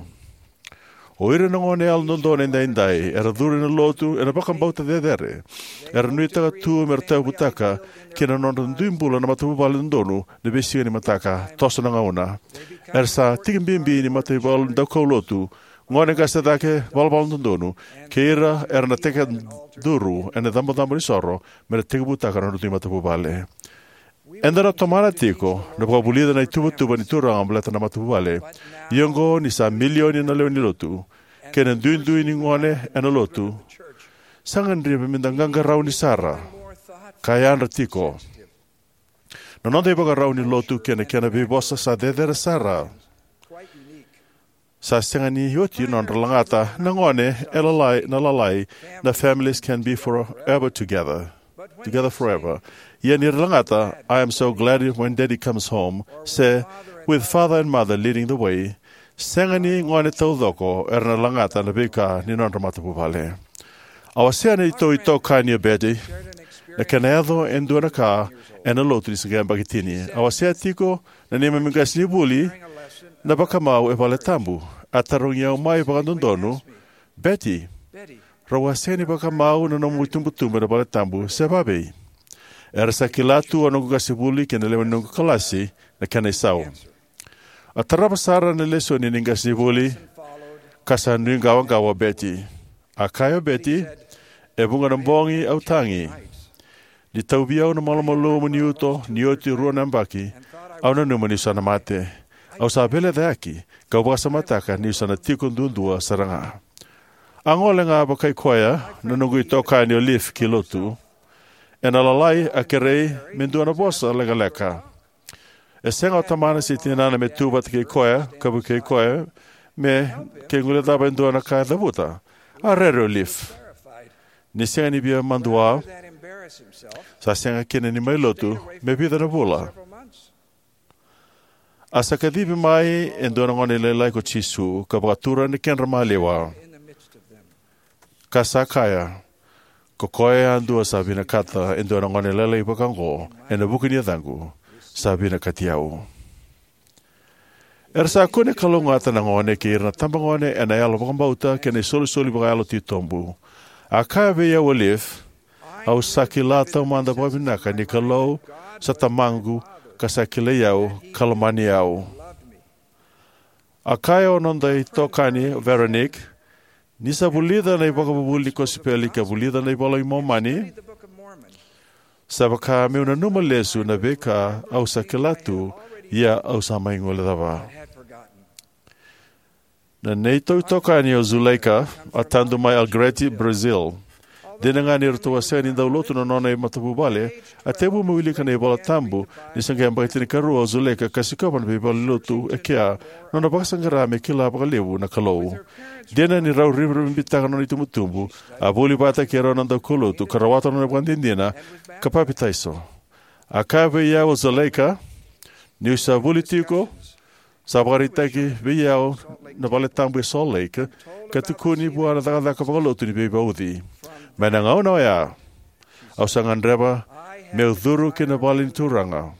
O ira na gone Yalododonu Edaidai era curu ena Lotu ena vakabauta cecere. Era nuitaka tu me ra tauyavutaka ki na nodra dui bula na matavuvale dodonu na veisiga ni mataka, toso na gauna. Era sa tiki bibi ni mataivalu daukaulotu, gone qase cake, valavala dodonu, kei ira era na tekiduru ena icabocabo ni soro me ra tekivutaka na nodra dui matavuvale. Eda na tomana tiko na vakavulica na ituvatuva ni Turaga baleta na matavuvale. Ia oqo ni sa milioni na lewe ni Lotu kei na duidui ni gone ena Lotu, sa gadrevi me da qaqarauni sara ka yadra tiko. Na noda ivakarau ni Lotu kei na kena veivosa sa cecere sara. Sa sega ni oti nodra lagata na gone e lalai, na lalai, na Families Can Be Forever Together, Together Forever. Ia ni ra lagata I Am So Glad When Daddy Comes Home, se With Father and Mother Leading the Way, sega ni gone taucoko era na lagata na veika ni nodra matavuvale. A wasea na neitou itokani o Betty na kena yaco e dua na ka ena Lotu ni se qai yabaki tini. A wasea tiko na neimami qasenivuli na vakamau e valetabu. A tarogi au mai vakadodonu, "Betty, rau a sega ni vakamau na nomu itubutubu ena valetabu, se vavei?" Era sa kila tu o noqu qasenivuli kei na lewe ni noqu kalasi na kena isau. A tarava sara na lesoni ni qasenivuli, ka sa nuiqawaqawa o Betty. A kaya o Betty, "E vuqa na bogi au tagi. Ni tauvi au na malumalumu ni uto ni oti e rua na yabaki, au nanuma niu sa na mate. Au sa veilecayaki, kau vakasamataka niu sa na tiko duadua sara ga." A gole ga vakai koya na noqu itokani o Leif ki lotu. Ena lalai a kerei me dua na vosa lekaleka. E sega o tamana se tinana me tu vata kei koya ka vukei koya me ke guilecava e dua na ka e cavuta. A rere o Leif. Ni sega ni via madua, sa sega kina ni mai lotu me vica na vula. A sa kacivi mai e dua na gone lailai ko Jisu ka vakatura na kedra maliwa. Ka sa kaya, "Ko koya yadua sa vinakata e dua na gone lailai vakaoqo ena vuku ni yacaqu, sa vinakati au." Era sa kune kalougata na gone kei ira na tabagone ena yalo vakabauta kei na isolisoli vakayalo titobu. A kaya vei au o Leif, "Au sa kila taumada vakavinaka ni Kalou sa tamaqu ka sa kilai au ka lomani au." A kaya o noda itokani o Veronique, "Ni sa vulica na ivakavuvuli ni kosipeli ka vulica na iVola i Momani, sa vaka meu nanuma lesu na veika au sa kila tu, ia au sa mai guilecava." Na neitou itokani o Zuleika, a tadu mai Alegrete, Brazil. Dina ga ni ratou a sega ni dau lotu na nona imatavuvale, a tekivu me wilika na iVola Tabu ni se qai yabaki tinikarua o Zuleika ka sikova na veivalenilotu e kea, nona vakasaqara me kila vakalevu na Kalou. Dina ni rau rivarivabitaka na nona itubutubu, a vuli vata kei rau na daukaulotu ka rawata na nona ivakadinadina ka papitaiso. A kaya vei au o Zuleika, niu sa vuli tiko, sa vakaraitaki vei au na vale tabu e Salt Lake, ka tukuni vua na cakacaka vakalotu ni veivauci. Mai na gauna oya, au sa gadreva meu curu ki na vale ni Turaga,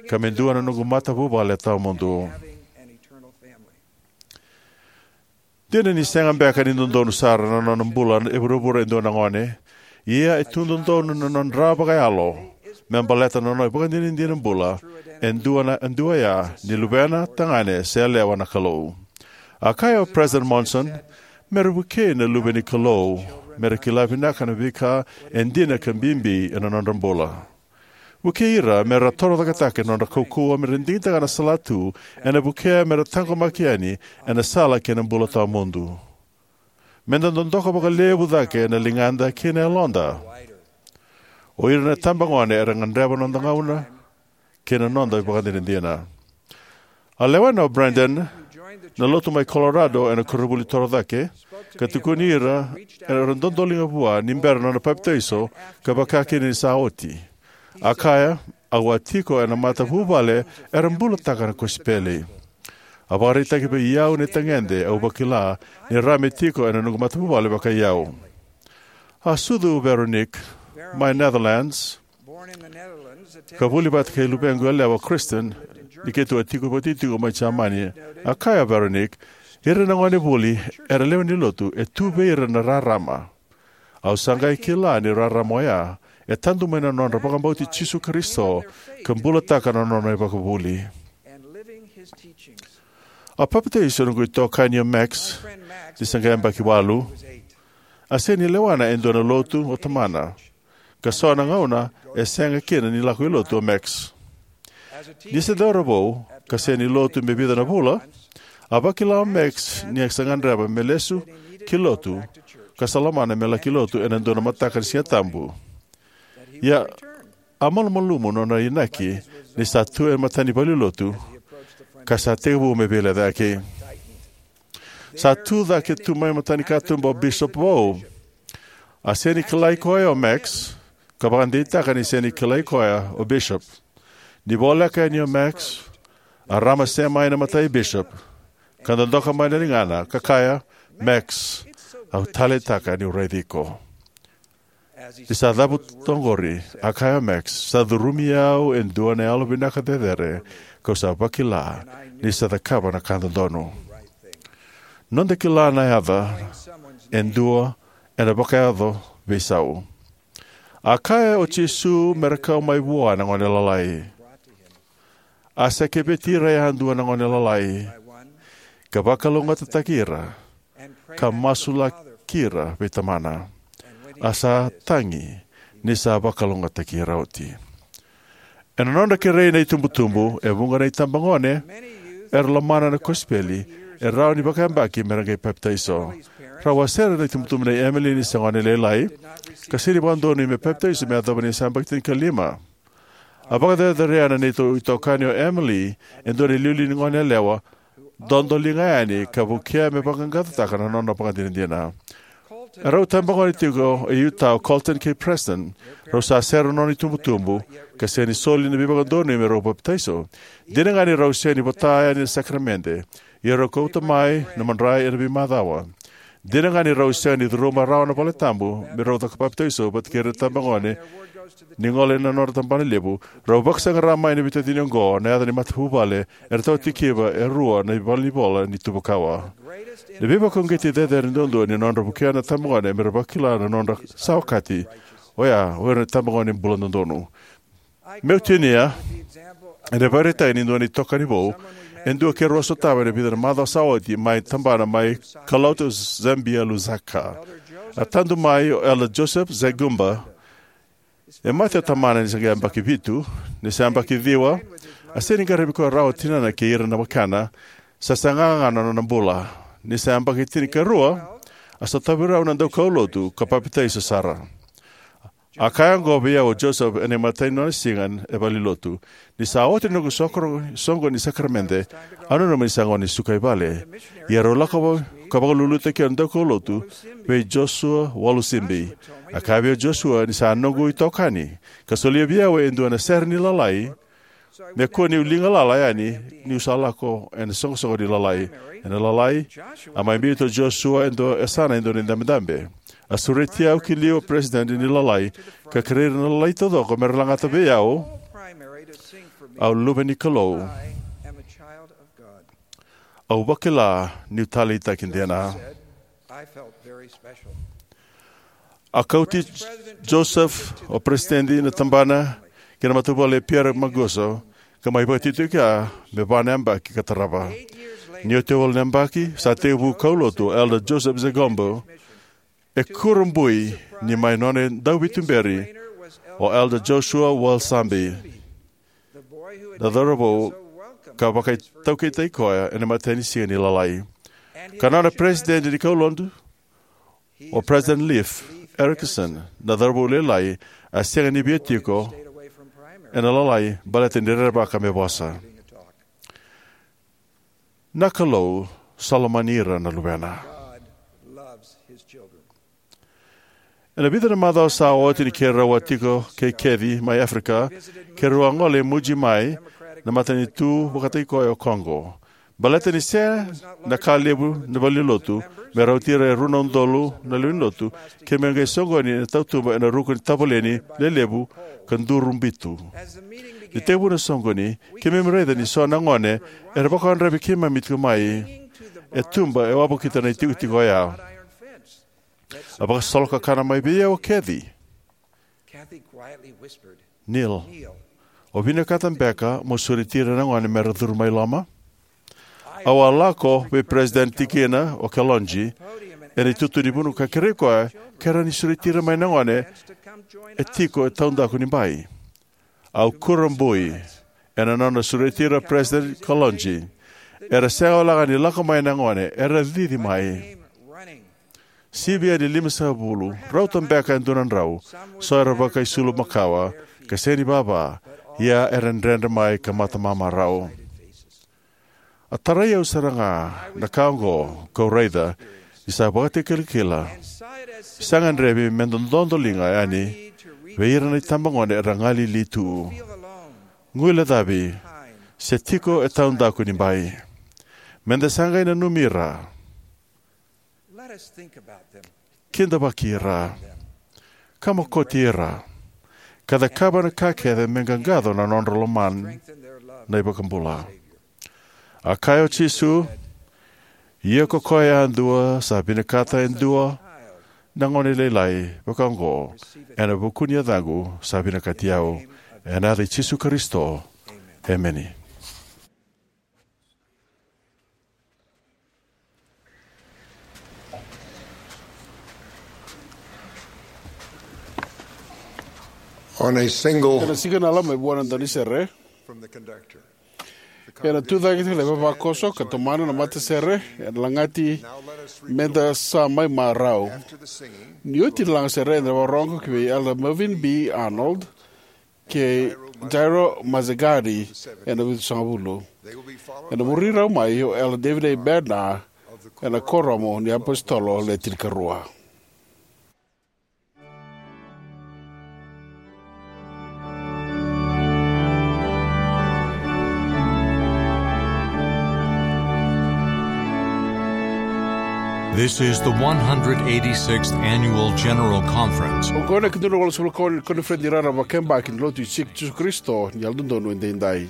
ka me dua na noqu matavuvale tawamudu. Dina ni sega beka ni dodonu sara na nona bula e vuravura e dua na gone, ia e tu dodonu na nona dra vakayalo me baleta na nona ivakadinadina bula e dua na, e dua ya ni luvena tagane se yalewa na Kalou. A kaya o President Monson, mera vukei na luve ni Kalou mera kila vinaka na veika e dina ka bibi ena nodra bula. Vukei ira mera torocaketaka na nodra kaukauwa mera digitaka na salatu ena vukea mera taqomaki yani ena sala kei na bula tawamudu. Meda dodoka vakalevu cake na ligada kei na yaloda. O ira na itabagone era gadreva na noda gauna kei na noda ivakadinadina. A lewena o Brandon na lotu mai Colorado ena koronivuli torocake, ka tukuni ira era dodoliga vua ni bera na nona papitaiso ka vaka kina ni sa oti. A kaya, au a tiko ena matavuvale era bulataka na kosipeli. A vakaraitaki vei au na itagede au vakila ni ra me tiko ena noqu matavuvale vakai au. A sucu o Veronique mai Netherlands, ka vuli vata kei luvequ yalewa Kristen, ni keitou a tiko vata tiko mai Jamani. A kaya o Veronique, ira na gone vuli era lewe ni lotu e tu vei ira na rarama. Au sa qai kila ni rarama oya e tadu mai na nodra vakabauti Jisu Karisito ka bulataka na nona ivakavuvuli. A papitaiso noqu itokani o Max ni se qai yabaki walu. A sega ni lewana e dua na lotu o tamana, ka so na gauna e sega kina ni lako i lotu o Max. Ni se cauravou ka sega ni lotu me vica na vula, a vakila o Max ni a sa gadreva me lesu ki lotu, ka sa lomana me laki lotu ena dua na mataka ni Siga Tabu. Ia, a malumalumu nona inaki ni sa tu e matani valenilotu, ka sa tekivu me veilecayaki. Sa tu cake tu mai matani katuba o Bishop vou. A sega ni kilai koya o Max, ka vakadeitaka ni sega ni kilai koya o Bishop. Ni voleka yani o Max, a ramase mai na matai Bishop, ka dodoka mai na ligana ka kaya, Max, au taleitaka niu raici iko. Ni sa cavuta oqori, a kaya o Max, sa curumi au e dua na yalovinaka cecere, kau sa vakila ni sa cakava na ka dodonu. Noda kila na yaca e dua ena vakayaco veisau. A kaya o Jisu mera kau mai vua na gone lalai. A sa keveti ira yadua na gone lalai, ka vakalougatataki ira, ka masulaki ira vei tamana. A sa tagi ni sa vakalougatataki ira oti. Ena nodra kerei na itubutubu, e vuqa na itabagone era lomana na kosipeli e rawa ni vakayabaki mera qai papitaiso. Rau a sere na itubutubu nei Emily ni se gone lailai, ka sega ni vakadonui me papitaiso me yacova ni sa yabaki tinikalima. A vakacerecerei na neitou itokani o Emily e dua na iliuliu ni gone yalewa dodoliga yani ka vukea me vaqaqacotaka na nona vakadinadina. E rau tabagone tiko e Utah o Colton kei Preston. Rau sa sere na nona itubutubu, ka sega ni soli na veivakadonui me rau papitaiso. Dina ga ni rau sega ni vota yani na sakaramede, ia rau kauta mai na madrai ena veimacawa. Dina ga ni rau sega ni curuma rawa na vale tabu me rau caka papitaiso vata kei ira na tabagone ni gole ena nodra tabanalevu, rau vakasaqara mai na veitacini oqo na yaca ni matavuvale era tawa tikiva e rua na valenivola ni tuva kawa. Na veivakauqeti cecere duadua ni nodra vukea na tabagone mera vakila na nodra sa okati, oya o ira na tabagone bula dodonu. Meu tinia ena ivakaraitaki ni dua na itokani vou, e dua keirau a sotava ena vica na macawa sa oti mai tabana mai Kalauta, Zambia, Lusaka. A tadu mai o Elder Joseph Zegumba. E mate o tamana ni se qai yabaki vitu. Ni se yabaki ciwa, a sega ni qaravi koya rawa o tinana kei ira na wekana. Sa saga ga na nona bula. Ni se yabaki tinikarua, a sotavi rau na daukaulotu ka papitaiso sara. A kaya oqo vei au o Joseph ena imatai ni nona siga e valenilotu: "Ni sa oti na noqu sokoro-, soqoni ni sakaramede, au nanuma ni sa gauna ni suka i vale." Ia rau lako va-, ka vakalulutaki au na daukaulotu vei Joshua Walusimbi. A kaya vei au o Joshua ni sa noqu itokani, ka solia vei au e dua na sere ni Lalai, me kua niu liga lala yani niu sa lako ena soqosoqo ni Lalai. Ena Lalai, a mai biuta o Joshua e dua, e yasana e dua na idabedabe. A sureti au ki liu o President ni Lalai, ka kerei ira na Lalai taucoko me ra lagata vei au, "Au luve ni Kalou. Au vakila niu taleitaki dina." A kauti Joseph o President na tabana ki na matavuvale e Pierre Mancuso, ka mai vakatitiki koya me va na yabaki ka tarava. Ni oti e walu na yabaki, sa tekivu kaulotu o Elder Joseph Zagombo, e kurabui ni mai nona dauvituberi o Elder Joshua Walusimbi, na cauravou ka vakaitaukeitaki koya ena imatai ni siga ni Lalai. Ka nona president ni kaulotu, o President Leif Erickson, na cauravou lailai, a sega ni via tiko ena Lalai baleta ni rerevaka me vosa. Na Kalou sa lomani ira na luvena. Ena vica na macawa sa oti ni keirau a tiko kei Kathy mai Africa, keirau a gole i Mbuji-Mayi, na matanitu vakataki koya o Congo. Baleta ni sega na ka levu na valenilotu me rauti ira e rua na udolu na lewe ni lotu, keimami qai soqoni ena tautuba ena ruku ni tavaleni lelevu ka duru bitu. Ni tekivu na soqoni, keimami raica ni so na gone era vakawadravi keimami tiko mai e tuba e wavokita na itikotiko oya. A vakasolokakana mai vei au o Kathy. Neil, o vinakata beka mo sureti ira na gone me ra curu mai loma? Au a lako vei President Tikina o Kalonji ena itutu ni vanua ka kerei koya ke rawa ni sureti ira mai na gone e tiko e taudaku ni bai. Au kurabui ena nona sureti ira o President Kalonji. Era sega walega ni lako mai na gone, era cici mai. Sivia ni limasagavulu, rauta beka e dua na drau, so era vakaisulu makawa ka sega ni vava, ia era dredre mai ka matamamarau. A tarai au sara ga na ka oqo kau raica ni sa vakatakilakila. Sa gadrevi me da dodoliga yani vei ira na itabagone era galili tu, guilecavi, se tiko e taudaku ni bai. Me da sa qai nanumi ira, kidavaki ira, ka mokoti ira, ka cakava na ka kece me qaqaco na nodra lomana na iVakabula. A kaya o Jisu, ia ko koya yadua sa vinakata e dua na gone lailai vaka oqo ena vuku ni yacaqu, sa vinakati au. Ena yaca i Jisu Karisito, emeni. On a single Ena siga na lama e vua na danisere. From the conductor. Ena tucake tiko na ivavakoso ka tomana na matasere, ena lagati me da sa mai marau. Ni oti na lagasere, eda na vakarorogo ki vei Elder Melvin B. Arnold kei Jairo Mazegari ena vitusagavulu. Ena muri rau mai o Elder David A. Bednar ena Kuoramu ni iApositolo Le Tinikarua. This is the one hundred eighty-sixth Annual General Conference. Oqo na ikadua na walusagavulu ka ono ni koniferedi raraba vakayabaki ni Lotu i Jisu Karisito ni Yalododonu Edaidai.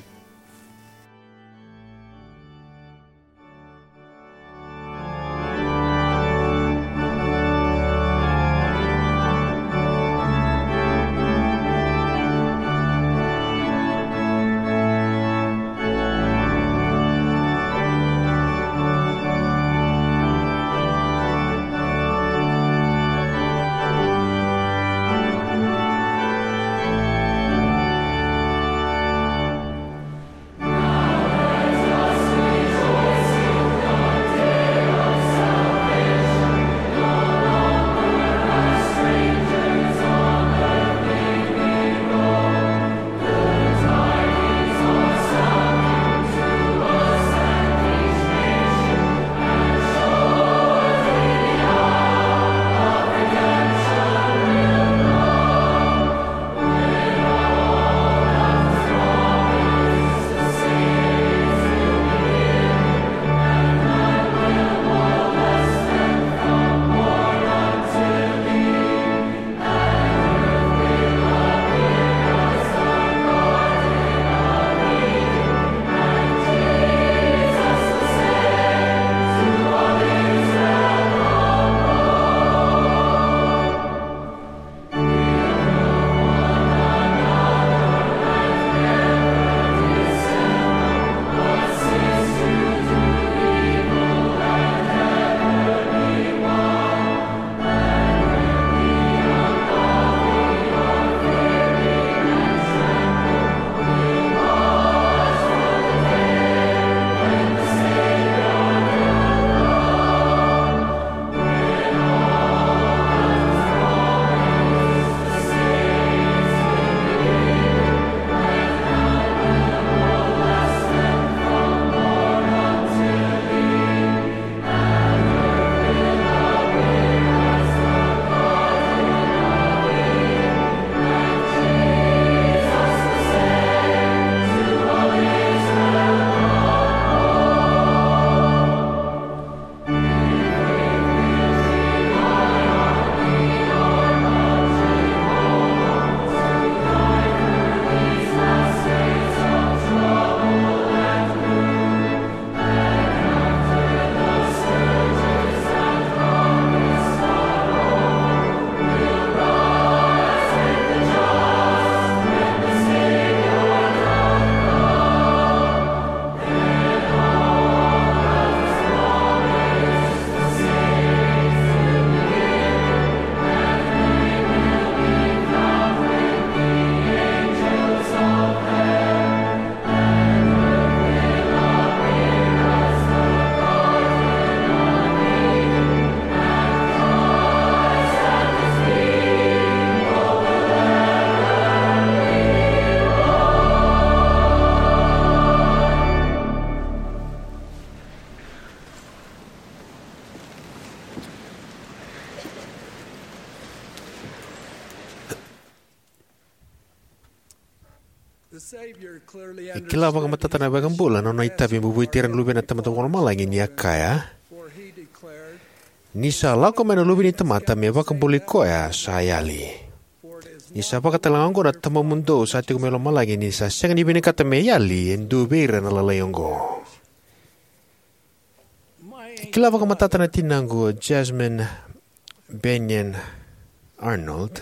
E kila vakamatata na iVakabula na nona itavi me vueti ira na luvena na Tamada Vakalomalagi, ni a kaya: Ni sa lako mai na Luve ni tamata me vakabulai koya sa yali. Ni sa vakatalega oqo na Tamamudou sa tiko mai lomalagi, ni sa sega ni vinakata me yali e dua vei ira na lalai oqo. E kila vakamatata na tinaqu, o Jasmine Bennion Arnold,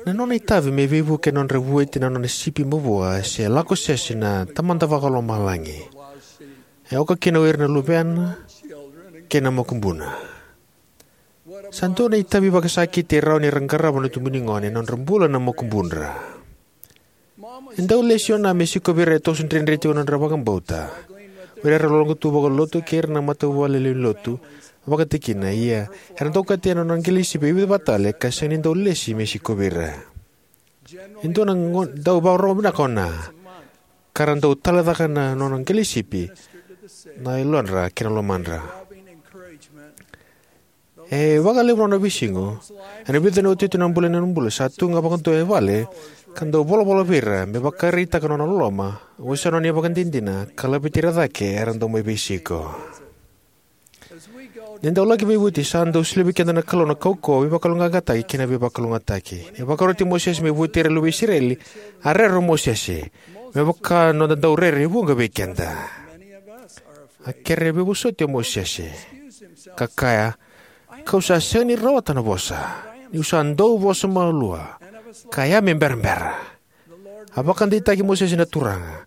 na nona itavi me veivuke ena nodra vueti na nona sipi mavoa se lako sese na Tamada Vakalomalagi, e oka kina o ira na luvena kei na makubuna. Sa dua na itavi vakasakiti e rawa ni ra qarava na tubunigone ena nodra bula na makubudra. E dau lesi o Na me sikovi ira e toso dredre tiko na nodra vakabauta, o ira era logalotu vakalotu kei ira na matavuvale lewe ni lotu vakatikina. Ia era dau okati ena nona qelenisipi e vica vata tale ka sega ni dau lesi me sikovi ira. E dua na go- dau vakarorogo vinaka o Na, ka ra dau taleitaka na nona qelenisipi na yalodra kei na lomadra. E vakalevu na nona veisiga. Ena vica na iotioti ni bula, ena nona bula sa tu ga vakadua e vale ka dau volavola vei ira me vakaraitaka na nona loloma, wasea na nona ivakadinadina, ka laveti ira cake era dau mai veisiko. Ni da dau laki veivueti, sa dau solia vei keda na Kalou na kaukauwa, veivakayaloqaqataki kei na veivakalougatataki. Ni vakaroti Mosese me vueti ira na luve i Isireli, a rere o Mosese, me vaka noda dau rere e vuqa vei keda. A kere veivosoti o Mosese, ka kaya: Ka'u sa sega ni rawata na vosa, ni'u sa dau vosa malua, ka ya me berabera. A vakadeitaki Mosese na Turaga: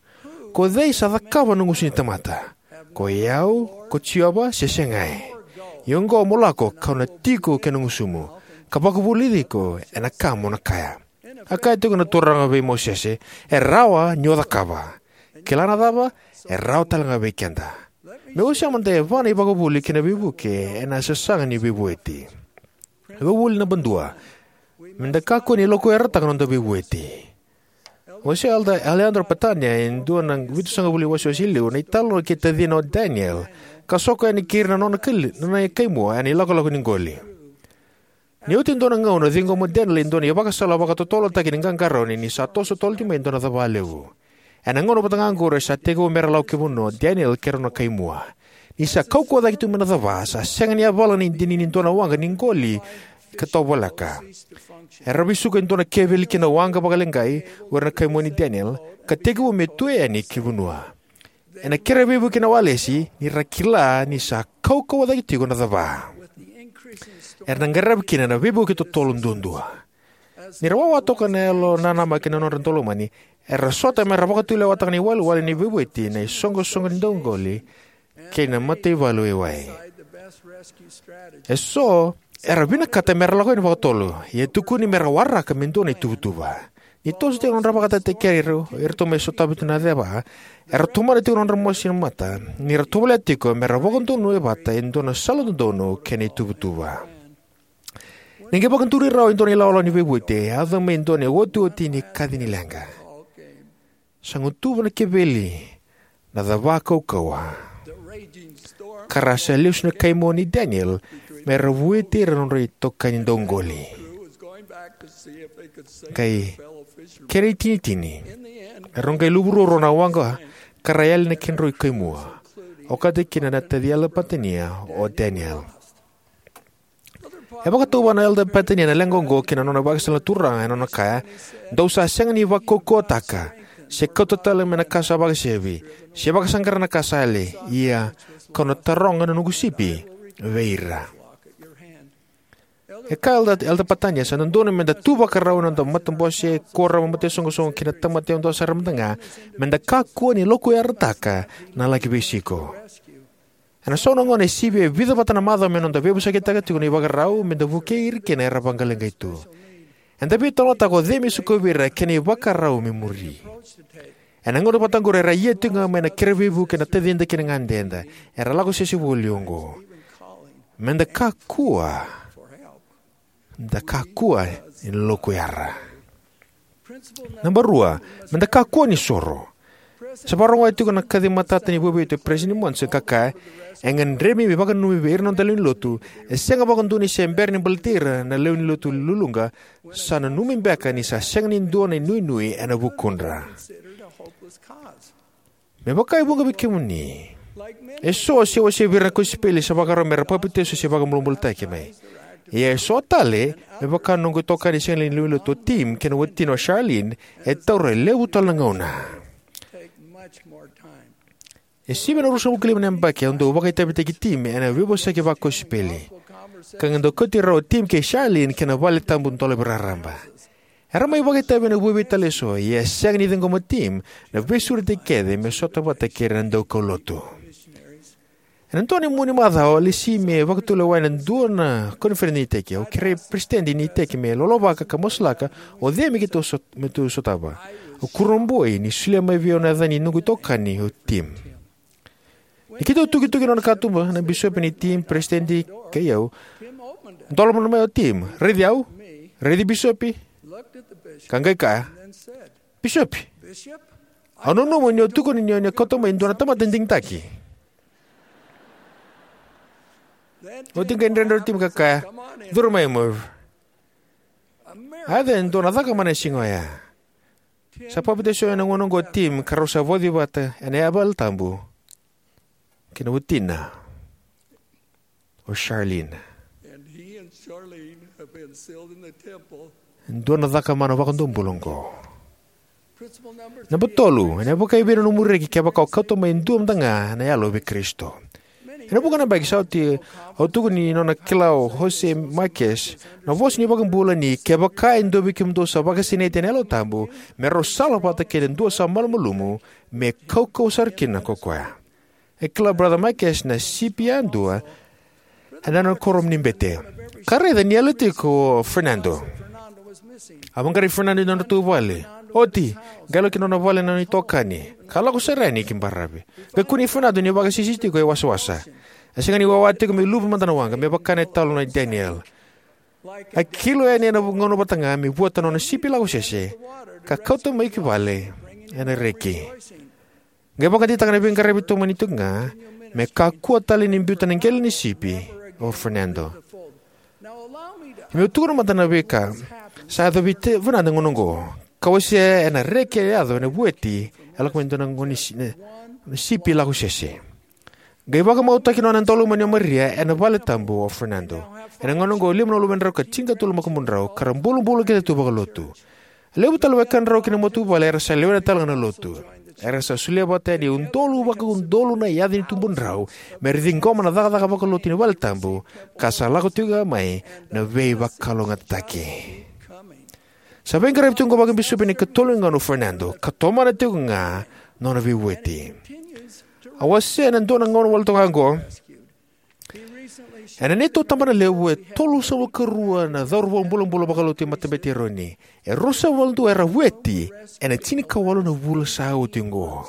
Ko cei sa cakava na gusu ni tamata? Ko i au, ko Jiova, se segai? Ia oqo mo lako, ka'u na tiko ki na gusumu, ka vakavulici iko ena ka mo na kaya. A kaya tiko na Turaga vei Mosese: E rawa ni o cakava. Kila na cava? E rawa talega vei keda. Meu wasea mada e va na ivakavuvuli kei na veivuke ena sasaga ni veivueti. Ivakavuvuli naba dua: Me da kakua ni lokuyarataka na noda veivueti. Wasea Elder Alejandro Patania e dua na vitusagavulu na iwasewase e liu na italanoa kei tacina o Daniel, ka soko yani kei ira na nona kai, nona kaimua ena ilakolako ni qoli. Ni oti e dua na gauna, a ciqoma o Daniel e dua na ivakasala vakatotolotaki ni qaqarauni ni sa toso totolo tiko mai e dua na cava levu. Ena gauna vata ga oqori, sa tekivu me ra lako ki vanua o Daniel kei ira na nona kaimua. Ni sa kaukauwa cake tiko mai na cava, sa sega ni yavala na idini ni dua na waqa ni qoli ka tovoleka. Era vesuka e dua na keveli ki na waqa vakaleqai o ira na kaimua nei Daniel, ka tekivu me tuya yani ki vanua. Ena kere veivuke na walesi, ni ra kila ni sa kaukauwa cake tiko na cava. Era na qaravi kina na veivuke totolo duadua. Ni ra wawa toka na yalo nanamaki na nodra daulomani, era sota me ra vakatulewataka na iwalewale ni veivueti na isoqosoqo ni dauqoli kei na mataivalu waiwai. E so era vinakata me ra lako yani vakatotolo, ia e tukuni me ra waraka me dua na ituvatuva. Ni toso tiko na nodra vakatataikere, eratou mai sotavi tu na ceva, era tomana tiko na nodra mosi na mata ni ra tovolea tiko me ra vakadonui vata e dua na sala dodonu kei na ituvatuva. Ni qai vakaduri rawa e dua na ilawalawa ni veivueti, a yaco mai e dua na iotioti ni kaci ni leqa. Sa gutuva na keveli na cava kaukauwa, ka ra sa lesu na kaimua nei Daniel me ra vueti ira na nodra itokani dauqoli. Qai kena itinitini, erau qai luvu ruarua na waqa ka ra yali na kedrau kaimua, okati kina na taci Elder Patania o Daniel. E vakatauvatana o Elder Patania na leqa oqo kei na nona ivakasala na Turaga ena nona kaya: Dou sa sega ni vakaukauwataka, se kauta tale mai na ka sa vakasevi, se vakasaqara na ka sa yali, ia ka'u na taroga na noqu sipi vei ira. E kaya o Elder, Elder Patania, sa dodonu me da tu vakarau ena noda matabose, kuoramu, mataisoqosoqo kei na tamata yadua sara mada ga, me da kakua ni lokuyarataka na laki veisiko. Ena so na gauna e sivia e vica vata na macawa me noda veivosakitaka tiko na ivakarau me da vukei ira kina era vaqaleqai tu. Eda veitalanoataka o cei me sikovi ira kei na ivakarau me muri. Ena gauna vata oqori era ia tiko ga mai na kere veivuke na tacida kei na ganeda. Era lako sese voli oqo. Me da kakua, da kakua ni lokuyara. Naba rua, me da kakua ni soro. Sa vakarogoya tiko na kaci matata ni veivueti o Peresitedi Monson, ka kaya, e gadrevi me vakananumi vei ira na noda lewenilotu, e sega vakadua ni se bera ni baleti ira na lewenilotu luluqa, sa nanumi beka ni sa sega ni dua na inuinui ena vukudra. Me vaka e vuqa vei kemuni, eso se wasea vei ira na kosipeli sa vakarau mera papitaiso se vakabulabulataki mai. Ia eso tale, me vaka na noqu itokani sega ni lewenilotu o Tim kei na watina o Charlene, e taura e levu tale na gauna. E sivia na ruasagavulu ka lima na yabaki au dau vakaitavitaki Tim ena veivosaki vakosipeli, ka qai dau kauti rau o Tim kei Charlene ki na valetabu dolavi raraba. Era mai vakaitavi ena veivueti tale eso, ia e sega ni ciqoma o Tim na veisureti kece me sota vata kei ira na daukaulotu. Ena dua na mua ni macawa, au lesi me vakatulewa ena dua na koniferedi ni iteki. Au kerei peresitedi ni iteki me lolovaka ka masulaka o cei me keitou sot-, me tou sotava. Au kurabui ni solia mai vei au na yaca ni noqu itokani o Tim. Ni keitou tukituki nona katuba, na bisopi ni Tim, peresitedi, kei au, dolava mai o Tim, raici au, raici bisopi, ka qai kaya, "Bisopi, au nanuma ni o tukuna ni o ni kauta mai e dua na tamata digitaki." Oti qai dredre o Tim ka kaya, "Curu mai, Merv. A yaco e dua na caka mana ena siga oya." Sa papitaiso ena gauna oqo o Tim, ka rau sa vauci vata ena valetabu kei na watina o Charlene. And he and Charlene have been sealed in the temple. E dua na caka mana vakadua bula oqo. Principle number three. Naba tolu, ena vakaevei na nomu reki kevaka o kauta mai e dua mada ga na yalo vei Karisito? Ena vuqa na yabaki sa oti, au tukuna ni nona kila o Jose Marquez na vosa ni iVakabula ni, "Kevaka e dua vei kemudou sa vakasinaiti ena Yalo Tabu, me rau sala vata kei na dua sa malumalumu, me kaukauwa sara kina ko koya." E kila o Brother Marquez na sipi yadua ena nona kuoramu ni bete, ka raica ni yali tiko o Fernando. A vaqarai Fernando ena nodratou vale. Oti, qai lako ki nona vale na nona itokani, ka lako sara yani ki baravi. Qai kunei Fernando ni vakasisisi tiko e wasawasa. E sega ni wawa tiko me luvu mada na waqa, me vaka na italanoa nei Daniel. A kilo yani ena gauna vata ga me vueta na nona sipi lakosese, ka kauta mai ki vale ena reki. Qai vakadeitaka na veiqaravi tomani tiko ga, me kakua tale ni biuta na qele ni sipi o Fernando. Meu tukuna mada na veika sa yaco vei Fernando ena gauna oqo, ka wasea ena reki e yaco ena vueti e lako mai dua na gone si-, na, na sipi lakosese. Qai vakamautaki nona daulomani o Maria ena valetabu o Fernando. Ena gauna oqo e lima na luvedrau ka tinikatolu na makubudrau, ka ra bulabula kece tu vakalotu. E levu tale na wekadrau kei na matavuvale era sa lewena tale ga na lotu. Era sa solia vata yani e udolu vakaudolu na yaca ni tubudrau, me ra ciqoma na cakacaka vakalotu ni valetabu, ka sa lako tiko ga mai na veivakalougatataki. Sa veiqaravi tiko oqo vakabisopi ena ikatolu ni gauna o Fernando, ka tomana tiko ga na nona veivueti. A wasea ena dua na gauna wale toka oqo, ena neitou tabanalevu e tolusagavulu ka rua na cauravou bulabula vakalotu e Matabete i Eroni. E ruasagavulu ka dua era vueti ena tinikawalu na vula sa oti oqo.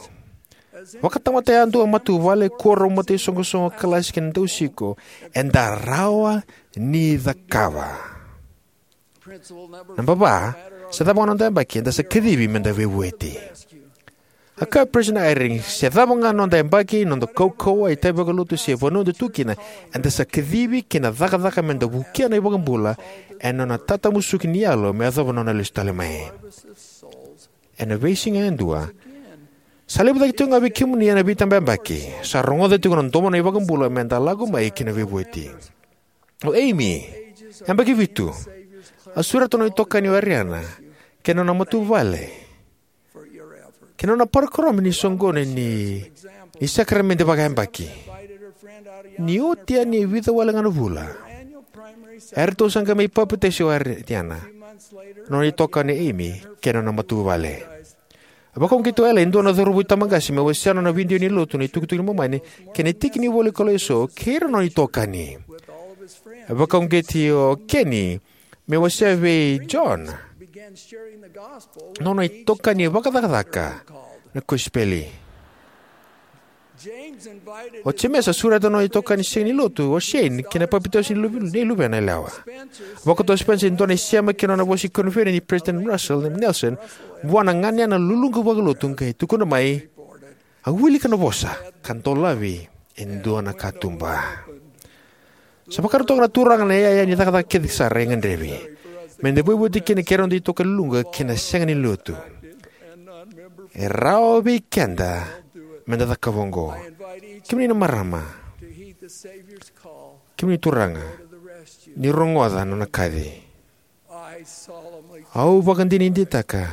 Vakatamata yadua, matavuvale, kuoramu, mataisoqosoqo, kalasi kei na dausiko, eda rawa ni cakava. Naba va, se cava ga noda yabaki, eda sa kacivi meda veivueti. A kaya o Peresitedi Eyring, se cava ga noda yabaki, noda kaukauwa, itavi vakalotu se vanua eda tu kina, eda sa kacivi ki na cakacaka meda vukea na iVakabula ena nona tatamusuki ni yalo me yacova na nona lesu tale mai. Ena veisiga yadua, sa levu cake tiko ga vei kemuni ena veitabayabaki sa rogoca tiko na domo ni iVakabula meda lako mai ki na veivueti. O Amy, yabaki vitu, a sureta na nona itokani o Ariana kei na nona matavuvale kei na nona parokaramu ni soqoni ni, ni sakaramede vakayabaki. Ni oti yani e vica wale ga na vula, eratou sa qai mai papitaiso o Ariana, na nona itokani o Amy, kei na nona matavuvale. A vakauqeti o Ellen, e dua na cauravou tabaqase, me wasea na nona vidio ni lotu, na itukutuku ni Momani kei na tiki ni ivola ni koro eso kei ira na nona itokani. A vakauqeti o Kenny me wasea vei John na nona itokani vakacakacaka na kosipeli. O James a sureta na nona itokani sega ni lotu, o Shane, ki na papitaiso ni luve-, ni luvena yalewa. Vakauta o Spencer e dua na isema ki na nona vosa ni koniferedi nei Peresitedi Russell Nelson vua na ganena luluqa vakalotu, qai tukuna mai, Au wilika na vosa ka dolavi e dua na katuba. Sa vakarau toka na Turaga na iyaya ni cakacaka kece sara e gadrevi me da veivueti kina kei ira na dui tokaluga kei na sega ni lotu. E rawa vei keda me da cakava oqo. Kemuni na marama, kemuni turaga, ni rogoca na nona kaci. Au vakadinadinataka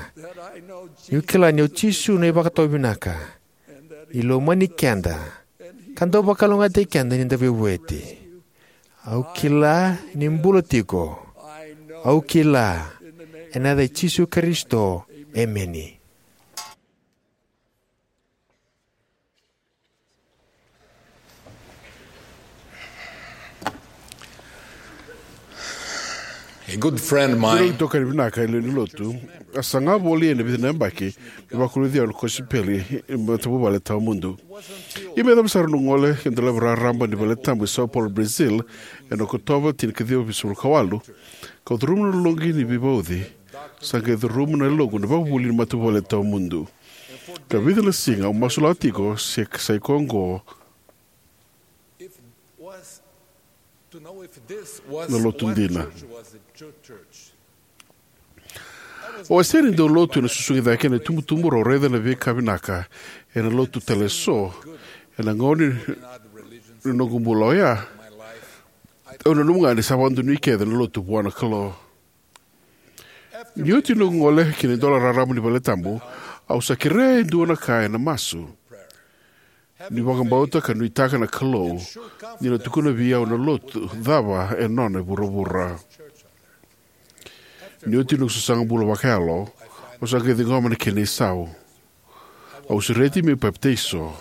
niu kila ni o Jisu na iVakatawa Vinaka, ni lomani keda, ka dau vakalougatataki keda ni da veivueti. Au kila ni bula tiko. Au kila. Ena yaca i Jisu Karisito, emeni. A good friend of mine. Itokani vinaka e lewe ni lotu. A saga voli ena vica na yabaki ni vakuruci au na kosipeli e matavuvale tawamudu. Ia me yacova sara noqu gole ki na delavi raraba ni valetabu e Sao Paulo, Brazil, ena Okotova tinikaciwa vitusagavulu ka walu, kau curuma na loqi ni veivauci. Sa qai curuma na yaloqu na vakavuvuli ni matavuvale tawamudu. Ka vica na siga au masulaka tiko se sa ikoya oqo na lotu dina. Au a sega ni dau lotu ena susugi cake ena itubutubu, rau raica na veika vinaka ena lotu tale eso ena gauna ni noqu bula oya. Au nanuma ga ni sa vakadonui kece na lotu vua na Kalou. Ni oti noqu gole ki na idola raraba ni valetabu, au sa kerea e dua na ka ena masu, ni vakabauta ka nuitaka na Kalou ni na tukuna vei au na lotu cava e nona e vuravura. Ni oti noqu sasaga bula vakayalo, au sa qai ciqoma na kena isau. Au sureti meu papitaiso.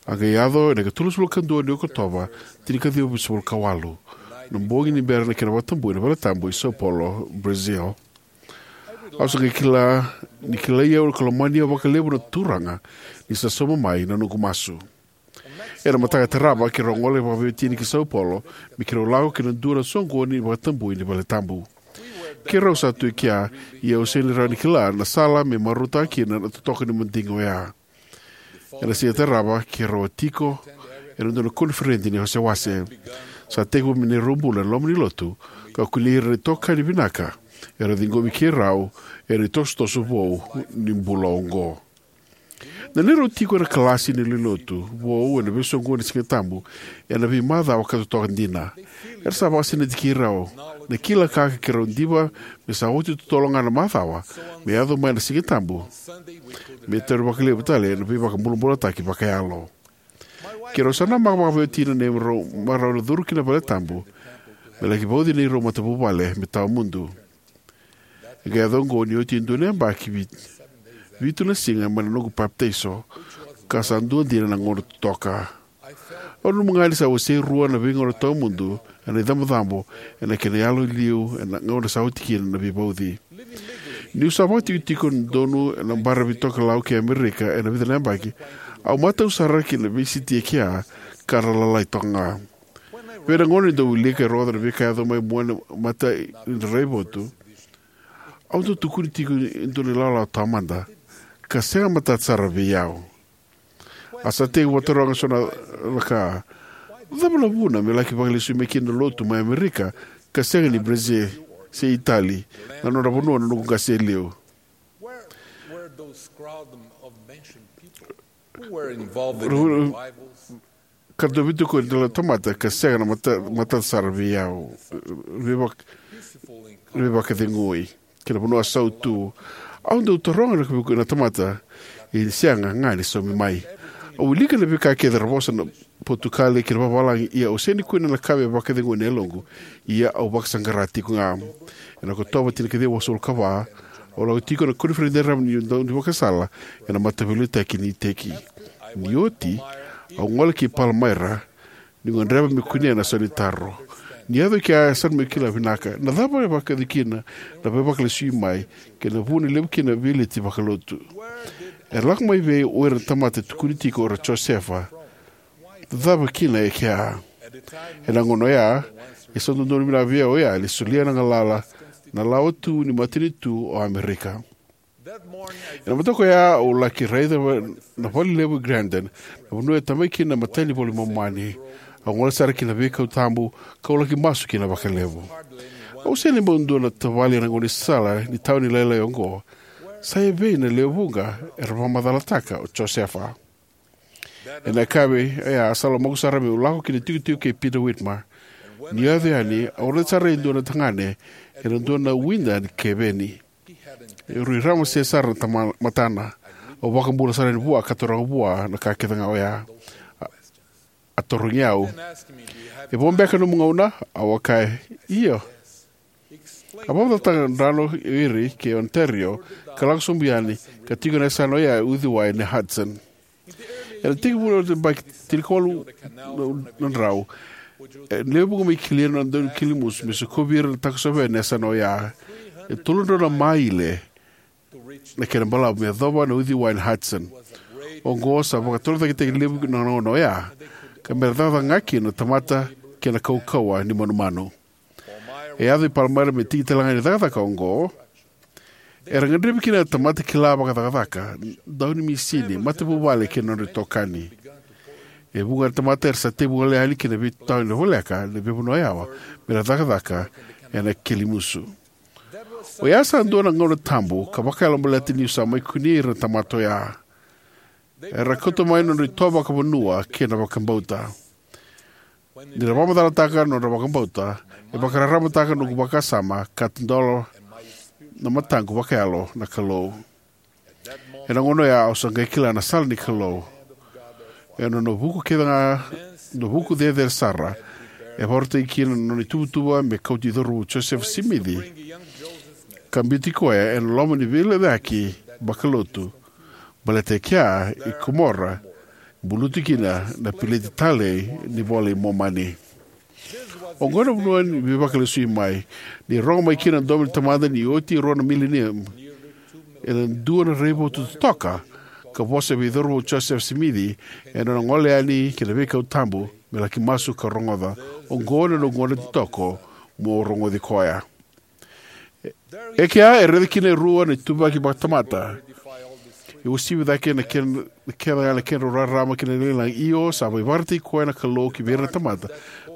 A qai yaco ena ikatolusagavulu ka dua ni Okotova, tinikaciwa vitusagavulu ka walu, na bogi ni bera na kena vakatabui na valetabu i Sao Paulo, Brazil. Au sa qai kila ni kilai au ka lomani au vakalevu na Turaga ni sa sauma mai na noqu masu. Ena mataka e tarava keirau gole vakaveiwatini ki Sao Paulo me keirau lako ki na dua na soqoni vakatabui ni valetabu. Keirau sa tu e kea, ia au sega ni rawa ni kila na sala me marautaka kina na totoka ni madigi oya. Ena siga e tarava keirau a tiko ena dua na koniferedi ni wasewase. Sa tekivu me neirau bula ena loma ni lotu ka kunei ira na itokani vinaka era ciqomi keirau ena itosotoso vou ni bula oqo. Na neirau tiko ena kalasi ni lewenilotu vou ena veisoqoni ni Sigatabu ena veimacawa ka totoka dina, era sa vakasinaiti keirau. Na kila ka keirau diva me sa oti totolo ga na macawa me yaco mai na Sigatabu me tauri vakalevu tale na veivakabulabulataki vakayalo. Keirau sa namaka vakaveiwatini na neirau marau na curu ki na valetabu me laki vauci neirau matavuvale me tawamudu. E qai yaco oqo ni oti e dua na yabaki vi-, vitu na siga mai na noqu papitaiso, ka sa dua dina na gauna totoka. Au nanuma ga ni sa wasei rua na veigauna tawamudu ena icabocabo ena kena yalo e liu ena gauna sa oti kina na veivauci. Niu sa vakatikotiko donu ena baravi tokalau kei Amerika ena vica na yabaki, au matau sara ki na veisiti e kea ka ra lalai toka ga. Vei na gauna ni dau wilika e rogoca na veika yaco mai mua na mata ni raivotu, au dau tukuni tiko e dua na ilawalawa taumada ka sega matata sara vei au. A sa tekivu vakataroga so na ka, cava na vuna me laki vakalesui mai kina na lotu mai Amerika ka sega ni Brazil se Itali, na nodra vanua na noqu qase e liu? Ka dau vitu ko ni dela tamata ka sega na mata, matata sara vei au. Veivak-, veivakacegui kei na vanua sautu. Au dau taroga na kaviku na tamata e sega ga ni saumi mai. Au wilika na veika kece ra vosa na Potukali kei na vavalagi, ia au sega ni kune na ka me vakacegui na yaloqu. Ia au vakasaqara tiko ga. Ena Okotova tinikaciwa vasagavulu ka va, au lako tiko na koniferedi raraba ni daunivakasala ena mataveiliutaki ni iteki. Ni oti, au gole ki Palmyra, niu gadreva me kunea na sau ni taro. Ni yaco e kea, sa na meu kila vinaka na cava e vakayaco kina na veivakalesui mai kei na vuna e levu kina na veileti vakalotu. E lako mai vei o ira na tamata e tukuni tiko o ira o Josefa. Cava kina e kea? Ena gauna oya, e sa dodonu vinaka vei au oya ni solia na galala na lawa tu ni matanitu o Amerika. Ena mataka oya au laki raica na vale levu e Grandin, na vanua e tamai kina na imatai ni iVola i Momani. Au gole sara ki na veikau tabu, kau laki masu kina vakalevu. Au sega ni bau dua na tavale ena gaunisala ni tauni lailai oqo. Sa evei na lewe vuqa era vakamacalataka o Josefa? Ena yakavi oya sa lomaqu sara meu lako ki na itikotiko kei Peter Whitmer. Niu yaco yani, au raica sara e dua na tagane ena dua na wida ni keveni. E rui ramase sara na tama- matana. Au vakabula sara yani vua ka taroga vua na ka kece ga oya. A, a tarogi au, "E vo beka nomu gauna?" Au a kaya, "Io." A vakamacalataka na drano o ira ki Ontario ka lako sobu yani ka tiko ena yasana oya e uciwai na Hudson. Ena tekivu na yabaki tinikawalu na drau, e lewe vuqa mai Killian na daunikalilimusu me sokovi ira na takosova yani na yasana oya. E tolu na drau na maile na kena balavu me yacova na uciwai na Hudson. Oqo sa vakatorocaketaki levu na gauna oya, ka me ra cakacaka ga kina na tamata kei na kaukauwa ni manumanu. E yaco i Palmyra me tiki tale ga ni cakacaka oqo. Era gadrevi kina na tamata kila vakacakacaka, daunimisini, matavuvale kei na nodra itokani. E vuqa na tamata era sa tekivu gole yani ki na veitawani voleka ena veivanua yawa me ra cakacaka ena kilimusu. Oya sa dua na gauna tabu ka vakayalo baleta niu sa mai kunei ira na tamata oya. Era kauta mai na nodra itovo vakavanua kei na vakabauta. Ni ra vakamacalataka na nodra vakabauta, e vakararamataka noqu vakasama ka tadola na mataqu vakayalo na Kalou. Ena gauna oya au sa qai kila na sala ni Kalou. Ena nona vuku kece ga, na vuku cecere sara, e vakarautaki kina na nona ituvatuva me kauti cauravou Josefa Simici ka biuti koya ena loma ni veilecayaki vakalotu, baleta e kea i Komora buluti kina na peleti talei ni iVola i Momani. Oqo na vanua ni veivakalesui mai, ni rogo mai kina na domo ni Tamada ni oti e rua na mileniumu. Ena dua na raivotu totoka ka vosa vei cauravou Josefa Simici ena nona gole yani ki na veikau tabu me laki masu ka rogoca. Oqo na noqu gauna titoko mo rogoci koya. E kea e raica kina e rua na ituvaki vakatamata. E uasivi cake na kena, na kena, na kedrau rarama kei na lagilagi. Io, sa mai vakaraitaki koya na Kalou ki vei ira na tamata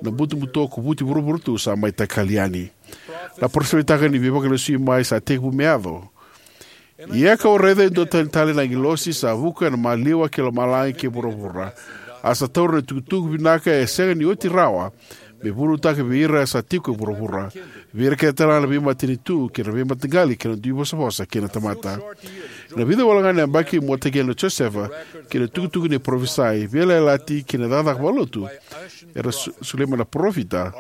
na butobuto ko vuti vuravura tu sa mai takali yani. Na parofisai ni veivakalesui mai sa tekivu me yaco. Ia kau raica e dua tani tale na agilosi sa vuka ena maliwa kei lomalagi kei vuravura. A sa taura na itukutuku vinaka e sega ni oti rawa me vunautaka vei ira sa tiko e vuravura, vei ira kece tale ga na veimatanitu kei na veimataqali kei na dui vosavosa kei na tamata. Ena vica wale ga na yabaki muataki yani o Josefa kei na itukutuku ni parofisai, veiyalayalati kei na cakacaka vakalotu era so-, solia mai na parofita,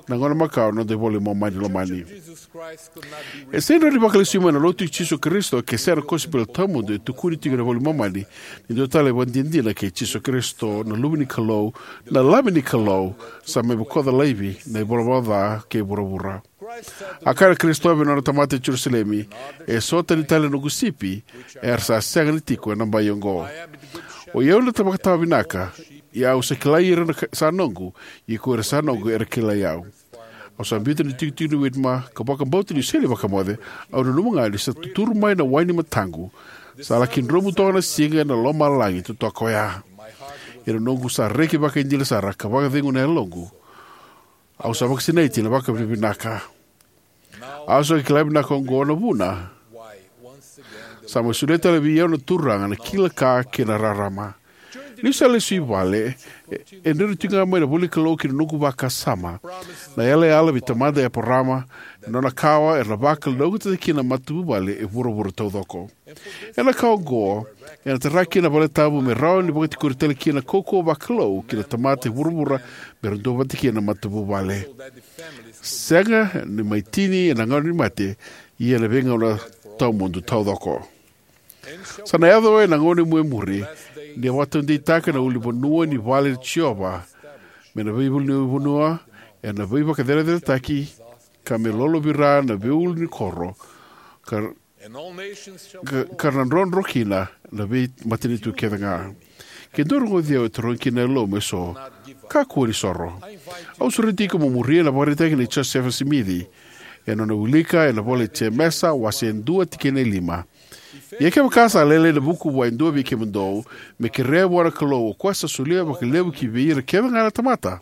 na gauna makawa na noda iVola i Momani lomani. E sega ni rawa ni vakalesui mai na Lotu i Jisu Karisito ke sega na kosipeli tawamudu e tukuni tiko ena iVola i Momani ni dua tale e ivakadinadina kei Jisu Karisito, na Luve ni Kalou, na Lami ni Kalou, sa mai bokoca laivi na ivalavala ca kei vuravura. A kaya na Karisito vei nona tamata e Jerusalemi, "E so tani tale na noqu sipi era sa sega ni tiko ena bai oqo." O i au na vakatawa vinaka, ia au sa kilai ira na ka-, sa noqu, ia ko ira sa noqu era kilai au. Au sa biuta na itikotiko ni Whitmer ka vakabauta niu sega ni vakamoce. Au nanuma ga ni sa tuturu mai na wai ni mataqu. Sa laki dromu toka na siga ena lomalagi totoka oya. Ia na noqu sa reki vakaidina sara ka vakacegu na yaloqu. Au sa vakasinaiti ena vakavinavinaka. Au sa kila vinaka oqo na vuna. Sa mai solia tale vei au na Turaga na kila ka kei na rarama. Niu sa lesu i vale, e, e dredre tiko ga mai na ivolanikalou ki na noqu vakasama na yalayala vei tamada Eparama, na nona kawa era na vakalougatataki kina na matavuvale e vuravura taucoko. Ena ka oqo, ena tara kina na valetabu me rawa ni vakatikori tale kina na kaukauwa vakalou ki na tamata e vuravura me ra duavata kina na matavuvale. Sega ni mai tini ena gauna ni mate, ia ena veigauna tawamudu taucoko. Sa na yaco ena gauna e murimuri, ni a vakataudeitaka na ulunivanua ni vale i Jiova, me na veiulunivanua ena veivakacereceretaki, ka me lolovira na veiulu ni koro, ka, ka, ka na drodro kina na veimatanitu kece ga. Ke dua rogoci au e tarogi kina na yalomu eso, kakua ni soro. Au sureti iko mo muria na ivakaraitaki nei Josefa Simici, ena nona wilika ena ivola i Jemesa, wase dua tikina e lima. Ia kevaka sa lailai na vuku vua e dua vei kemudou, me kerea vua na Kalou, o koya sa solia vakalevu ki vei ira kece ga na tamata,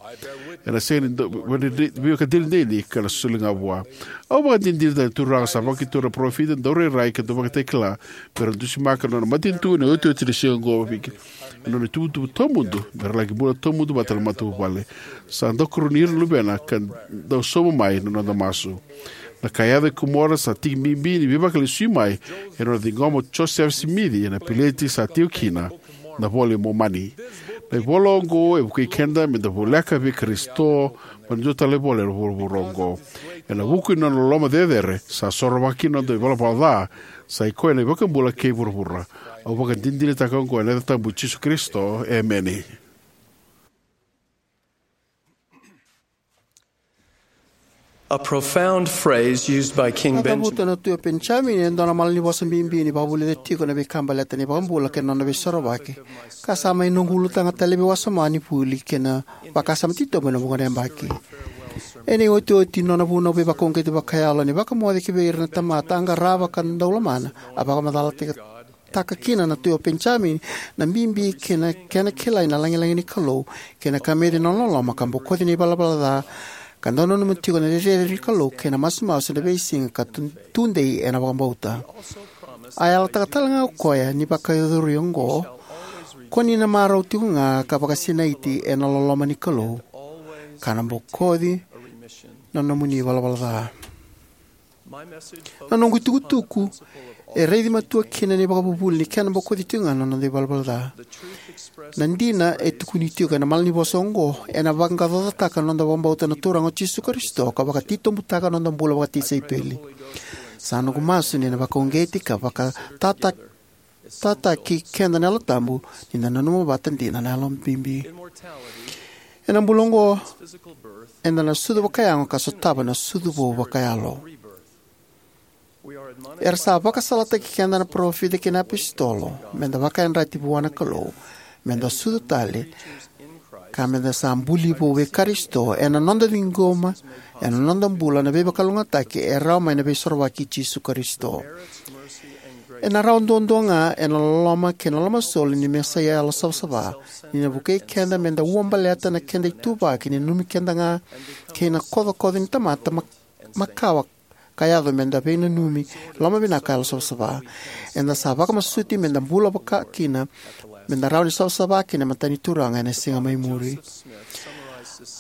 ena sega ni dau veivakadinadinataki, ka na soli ga vua. Au vakadinadinataka na Turaga sa vakatura na parofita, daurairai ka dauvakatakila, me ra dusimaka na nona matanitu ena iotioti ni siga oqo, vei keda na nona ituvatuva tawamudu, me ra laki bula tawamudu vata na matavuvale. Sa dau karoni ira na luvena ka dau sauma mai na noda masu. Na ka e yaco e Komora sa tiki bibi ni veivakalesui mai ena nona ciqoma o Josefa Simici ena peleti sa tiko kina na iVola i Momani. Na ivola oqo e vukei keda me da voleka vei Karisito mai na dua tale na ivola ena vuravura oqo. Ena vuku ni nona loloma cecere, sa sorovaka kina na noda ivalavala ca, sa i koya na iVakabula kei vuravura. Au vakadinadinataka oqo ena yaca tabu i Jisu Karisito. Emeni. A profound phrase used by King Na Benjamin. Cavuta na Tui o Penijamini e dua na malanivosa bibi ni vakavulica tiko na veika baleta na iVakabula kei na nona veisorovaki, ka sa mai noqu ulutaga tale vei wasoma ni vuli kei na vakasama titobu ena vuqa na yabaki. Ena iotioti ni nona vunau veivakauqeti vakayalo ni vakamoce ki vei ira na tamata a qarava ka dau lomana, a vakamacalataka kina na Tui o Penijamini na bibi kei na kena kilai na lagilagi ni Kalou, kei na kameci na nona loloma, ka bokoci na ivalavala ca, ka dau nanuma tiko na cecere ni Kalou kei na masumasu ena veisiga ka tu- tudei ena vakabauta. A yalataka tale ga o koya ni vakayacori oqo, ko ni na marau tiko ga ka vakasinaiti ena loloma ni Kalou, ka na bokoci na nomuni ivalavala ca. Na noqu itukutuku e raici matua kina na ivakavuvuli ni kena bokoci tiko ga na noda ivalavala ca. Na dina e tukuni tiko ena malanivosa oqo ena vaqaqacotaka na noda vakabauta na Turaga o Jisu Karisito ka vakatitobutaka na noda bula vakatisaipeli. Sa noqu masu ni na vakauqeti ka vakatataki tataki keda na Yalo Tabu ni da nanuma vata dina na yalo bibi. Ena bula oqo, eda na sucu vakayago ka sotava na sucu vou vakayalo. Era sa vakasalataki keda na parofita kei na apositolo me da vakayadrati vua na Kalou, me da sucu tale, ka me da sa buli vou vei Karisito ena noda ciqoma ena noda bula na veivakalougatataki e rawa mai na veisorovaki i Jisu Karisito. Ena rawa duadua ga ena loloma kei na lomasoli ni Mesaia yalosavasava, ni na vukei keda me da uabaleta na keda ituvaki ni nanumi keda ga kei na kocokoco ni tamata ma- makawa ka yaco me da veinanumi, lomavinaka, yalosavasava. Eda sa vakamasuti me da bula vaka kina, me da rawa ni savasava kina e matani Turaga ena siga mai muri.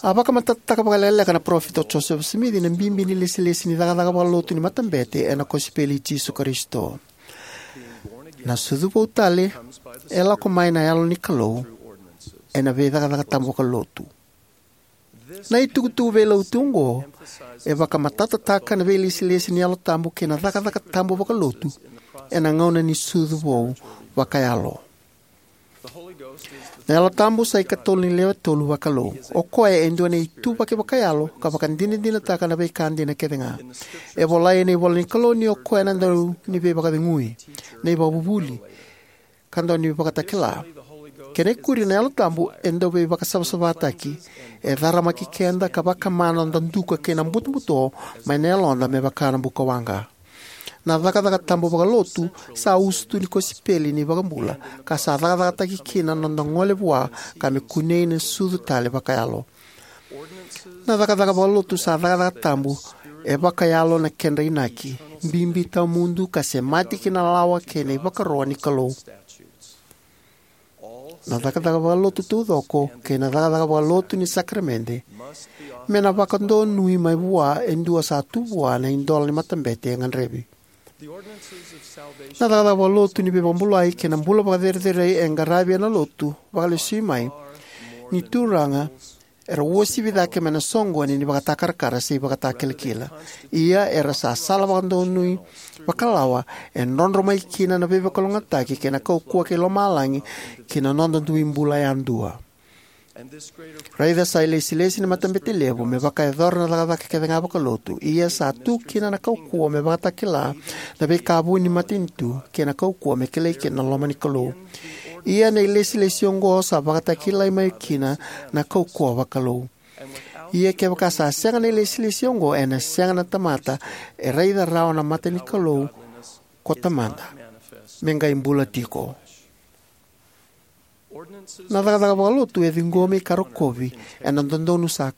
A vakamatatataka vakalekaleka na parofita o Josefa Simici na bibi ni lesilesi ni cakacaka vakalotu ni matabete ena kosipeli i Jisu Karisito. Na sucu vou tale e lako mai na Yalo ni Kalou ena veicakacaka tabu vakalotu. Na itukutuku veilauti oqo e vakamatatataka na veilesilesi ni Yalo Tabu kei na cakacaka tabu vakalotu ena gauna ni sucu vou vakayalo. Na Yalo Tabu sa ikatolu ni lewe tolu vakalou. O koya e dua na ituvaki vakayalo ka vakadinadinataka na veika dina kece ga. E volai ena ivola ni Kalou ni o koya na dau ni veivakacegui, na ivakavuvuli, ka dau ni vakatakila. Kena ikuri, na Yalo Tabu e dau veivakasavasavataki, e caramaki keda ka vakama na noda duka kei na butobuto mai na yaloda me vaka na bukawaqa. Na cakacaka tabu vakalotu sa usutu ni kosipeli ni iVakabula, ka sa cakacakataki kina na noda gole vua ka me kunei na sucu tale vakayalo. Na cakacaka vakalotu sa cakacaka tabu e vakayalo na kedra inaki, bibi tawamudu ka semati ki na lawa kei na ivakaro ni Kalou. Na cakacaka vakalotu taucoko kei na cakacaka vakalotu ni sakaramede me na vakadonui mai vua e dua sa tu vua na idola ni matabete e gadrevi. Na cakacaka vakalotu ni veivakabulai kei na bula vakacerecerei e qaravi ena lotu vakalesui mai ni Turaga era uasivi cake mai na soqoni ni vakatakarakara se ivakatakilakila. Ia era sa sala vakadonui vakalawa e drodro mai kina na veivakalougatataki kei na kaukauwa kei lomalagi ki na noda dui bula yadua. Raica sa ilesilesi ni matabete levu me vakayacora na cakacaka kece ga vakalotu, ia sa tu kina na kaukauwa me vakatakila na veika vuni ni matanitu kei na kaukauwa me kilai kina na loma ni Kalou. Ia na ilesilesi oqo sa vakatakilai mai kina na kaukauwa vakalou. Ia kevaka sa sega na ilesilesi oqo, ena sega na tamata e raica rawa na mata ni Kalou ko Tamada. me qai bula tiko. Na cakacaka vakalotu e ciqomi ka rokovi ena dodonu sa,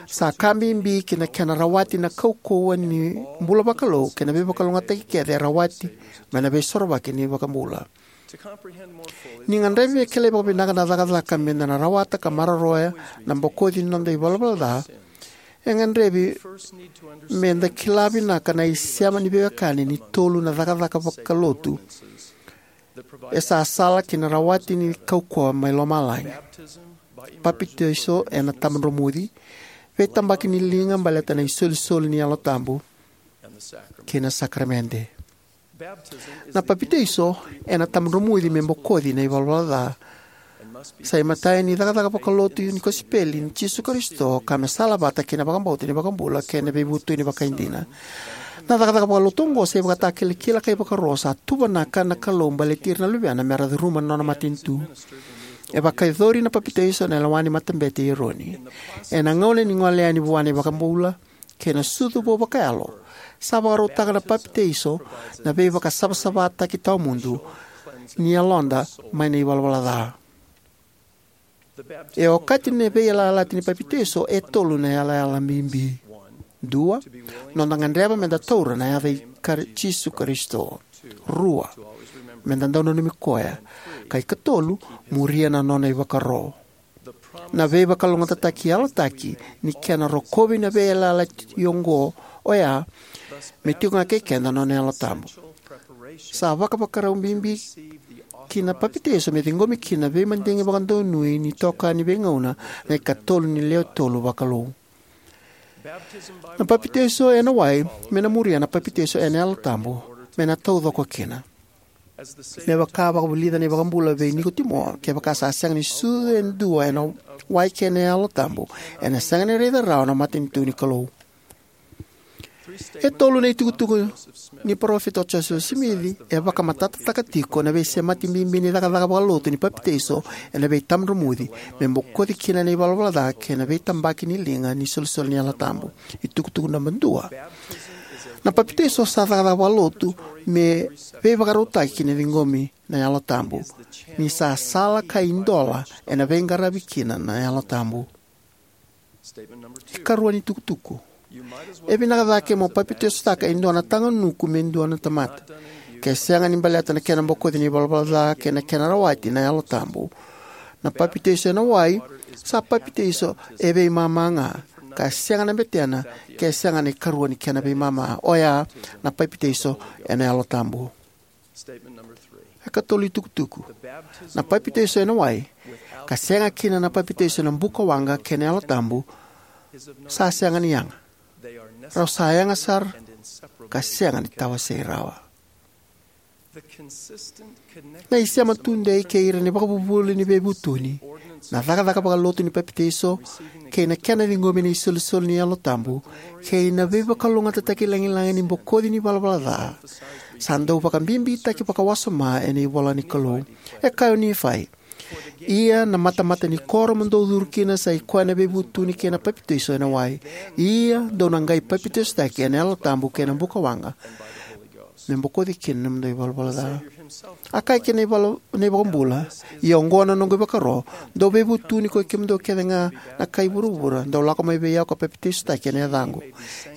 sa ka bibi ki na kena rawati na kaukauwa ni bula vakalou kei na veivakalougatataki kece e rawati mai na Veisorovaki ni iVakabula. Ni gadrevi me kilai vakavinaka na cakacaka meda na rawata ka maroroya na bokoci ni noda ivalavala ca, e gadrevi meda kila vinaka na isema ni veiwekani ni tolu na cakacaka vakalotu e sa sala ki na rawati ni kaukauwa mai lomalagi: papitaiso ena tabadromuci, veitabaki ni liga baleta na isolisoli ni Yalo Tabu, kei na sakaramede. Na papitaiso ena tabadromuci me bokoci na ivalavala ca sa imatai ni cakacaka vakalotu ni kosipeli i Jisu Karisito ka me salavata kei na vakabauta ni iVakabula kei na veivutuni vakaidina. Na cakacaka vakalotu oqo sa ivakatakilakila ka ivakaro sa tuvanaka na Kalou baleti ira na Luvena mera curuma na nona matanitu. E vakayacori na papitaiso ena lewa ni Matabete i Eroni. Ena gauna ni gole yani vua na iVakabula kei na sucu vou vakayalo, sa vakarautaka na papitaiso na veivakasavasavataki tawamudu ni yaloda mai na ivalavala ca. E okati na veiyalayalati ni papitaiso e tolu na yalayala bibi. Dua, noda gadreva meda taura na yaca i Kar-, Jisu Karisito. Rua, meda dau nanumi koya. Ka ikatolu, muria na nona ivakaro. Na veivakalougatataki yalataki ni kena rokovi na veiyalayalati oqo oya me tiko ga kei keda na nona Yalo Tabu. Sa vakavakarau bibi ki na papitaiso me ciqomi kina na veimadigi vakadonui ni itokani veigauna, na ikatolu ni lewe tolu vakalou. Na papitaiso ena wai me na muria na papitaiso ena Yalo Tabu me na taucoko kina. Me vaka a vakavulica na iVakabula vei Nikotimo, kevaka sa sega ni sucu e dua ena wai kei na Yalo Tabu, ena sega ni raica rawa na matanitu ni Kalou. E tolu na itukutuku ni parofita o Josefa Simici e vakamatatataka tiko na veisemati bibi ni cakacaka vakalotu ni papitaiso ena veitabadromuci me bokoci kina na ivalavala ca kei na veitabaki ni liga ni isolisoli ni Yalo Tabu. Itukutuku naba dua: na papitaiso sa cakacaka vakalotu me veivakarautaki ki na ciqomi na Yalo Tabu, ni sa sala ka idola ena veiqaravi kina na Yalo Tabu. Ikarua ni tukutuku: e vinaka cake mo papitaisotaka e dua na taga nuku me dua na tamata, ke sega ni baleta na kena bokoci na ivalavala ca kei na kena rawati na Yalo Tabu. Na papitaiso ena wai sa papitaiso e veimama ga, ka sega na betena ke sega na ikarua ni kena veimama, oya na papitaiso ena Yalo Tabu. Ikatolu ni tukutuku: na papitaiso ena wai, ka sega kina na papitaiso ena buka waqa kei na Yalo Tabu, sa sega ni yaga. Rau sa yaga sara ka sega ni tawasei rawa. Na isema tudei kei ira na ivakavuvuli ni veivutuni, na cakacaka vakalotu ni papitaiso, kei na kena ciqomi na isolisoli ni Yalo Tabu, kei na veivakalougatataki lagilagi ni bokoci ni ivalavala ca, sa dau vakabibitaki vakawasoma ena ivola ni Kalou. E kaya o Nifai: Ia na matamata ni koro mo dou curu kina sa i koya na veivutuni kei na papitaiso ena wai. Ia dou na qai papitaisotaki ena Yalo Tabu kei na buka waqa, me bokoci kina na nomudou ivalavala ca. A kaya kina na iVakabula: Ia oqo na noqu ivakaro, dou veivutuni koi kemudou kece ga na kai vuravura, dou lako mai vei au ka papitaisotaki ena yacaqu.